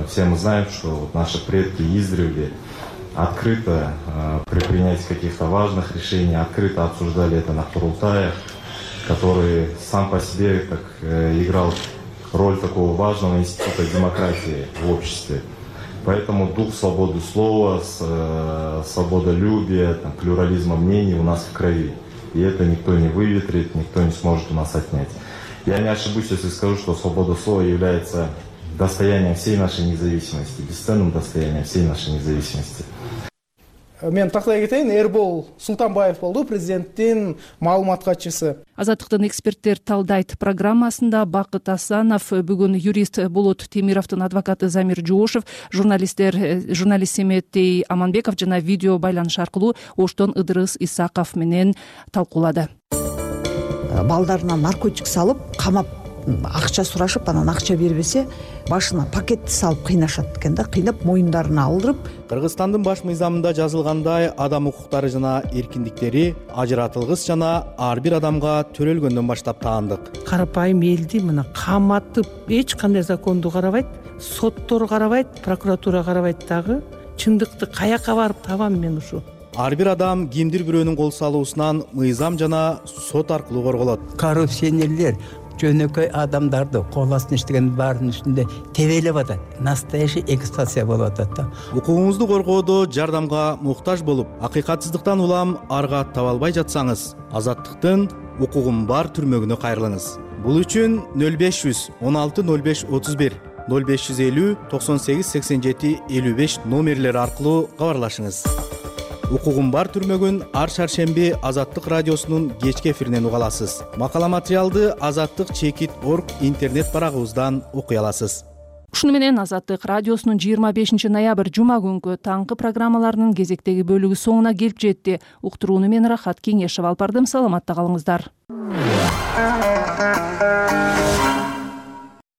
Все мы знаем, что наши предки издревле открыто при принятии каких-то важных решений, открыто обсуждали это на Курултаях, который сам по себе как, играл роль такого важного института демократии в обществе. Поэтому дух свободы слова, свободолюбия, там, плюрализма мнений у нас в крови. И это никто не выветрит, никто не сможет у нас отнять. Я не ошибусь, если скажу, что свобода слова является достоянием всей нашей независимости, бесценным достоянием всей нашей независимости. мен тактай кетейин, Эрбол Султанбаев болду, президенттин маалымат катчысы. Азаттыктын эксперттер талдайт программасында Бакыт Асанов, бүгүн юрист Болот Темировдун адвокаты Замир Жоошев, журналисттер журналист Семеттей Аманбеков жана видео байланыш аркылуу Оштон Ыдырыс Исаков менен талкуулады. Балдарына наркотик салып, камап акча сурашып, анан акча бербесе, башына пакетти салып кыйнашат экен да, кыйнап моюндарына алдырып. Кыргызстандын баш мыйзамында жазылгандай, адам укуктары жана эркиндиктери ажыратылгыс жана ар бир адамга төрөлгөндөн баштап таандык. Карапайым элди мына каматып, эч кандай законду карабайт, соттор карабайт, прокуратура карабайт дагы. Чындыкты каяка барып табам мен ушу? Ар бир адам кимдир бирөөнүн кол салуусунан мыйзам жана сот аркылуу корголот. Коррупционерлер жөнөкөй адамдарды кол астына иштеген баарынын үстүндө тебелеп атат. Настоящий эксплуатация болуп атат да. Укугуңузду коргоодо жардамга муктаж болуп, акыйкатсыздыктан улам арга таба албай жатсаңыз, Азаттыктын укугум бар түрмөгүнө кайрылыңыз. Бул үчүн нөл беш жүз он алты нөл беш отуз бир, нөл беш жүз элүү токсон сегиз сексен жети элүү беш номерлери аркылуу кабарлашыңыз. Укугум бар түрмөгүн ар шаршемби Азаттык радиосунун кечки эфиринен уга аласыз. Макала материалды Азаттык чекит точка орг интернет барагыбыздан окуй аласыз. Ушуну менен Азаттык радиосунун жыйырма бешинчи ноябрь жума күнгү таңкы программаларынын кезектеги бөлүгү соңуна келип жетти. Уктурууну мен Рахат Кеңешева алып бардым. Саламатта калыңыздар.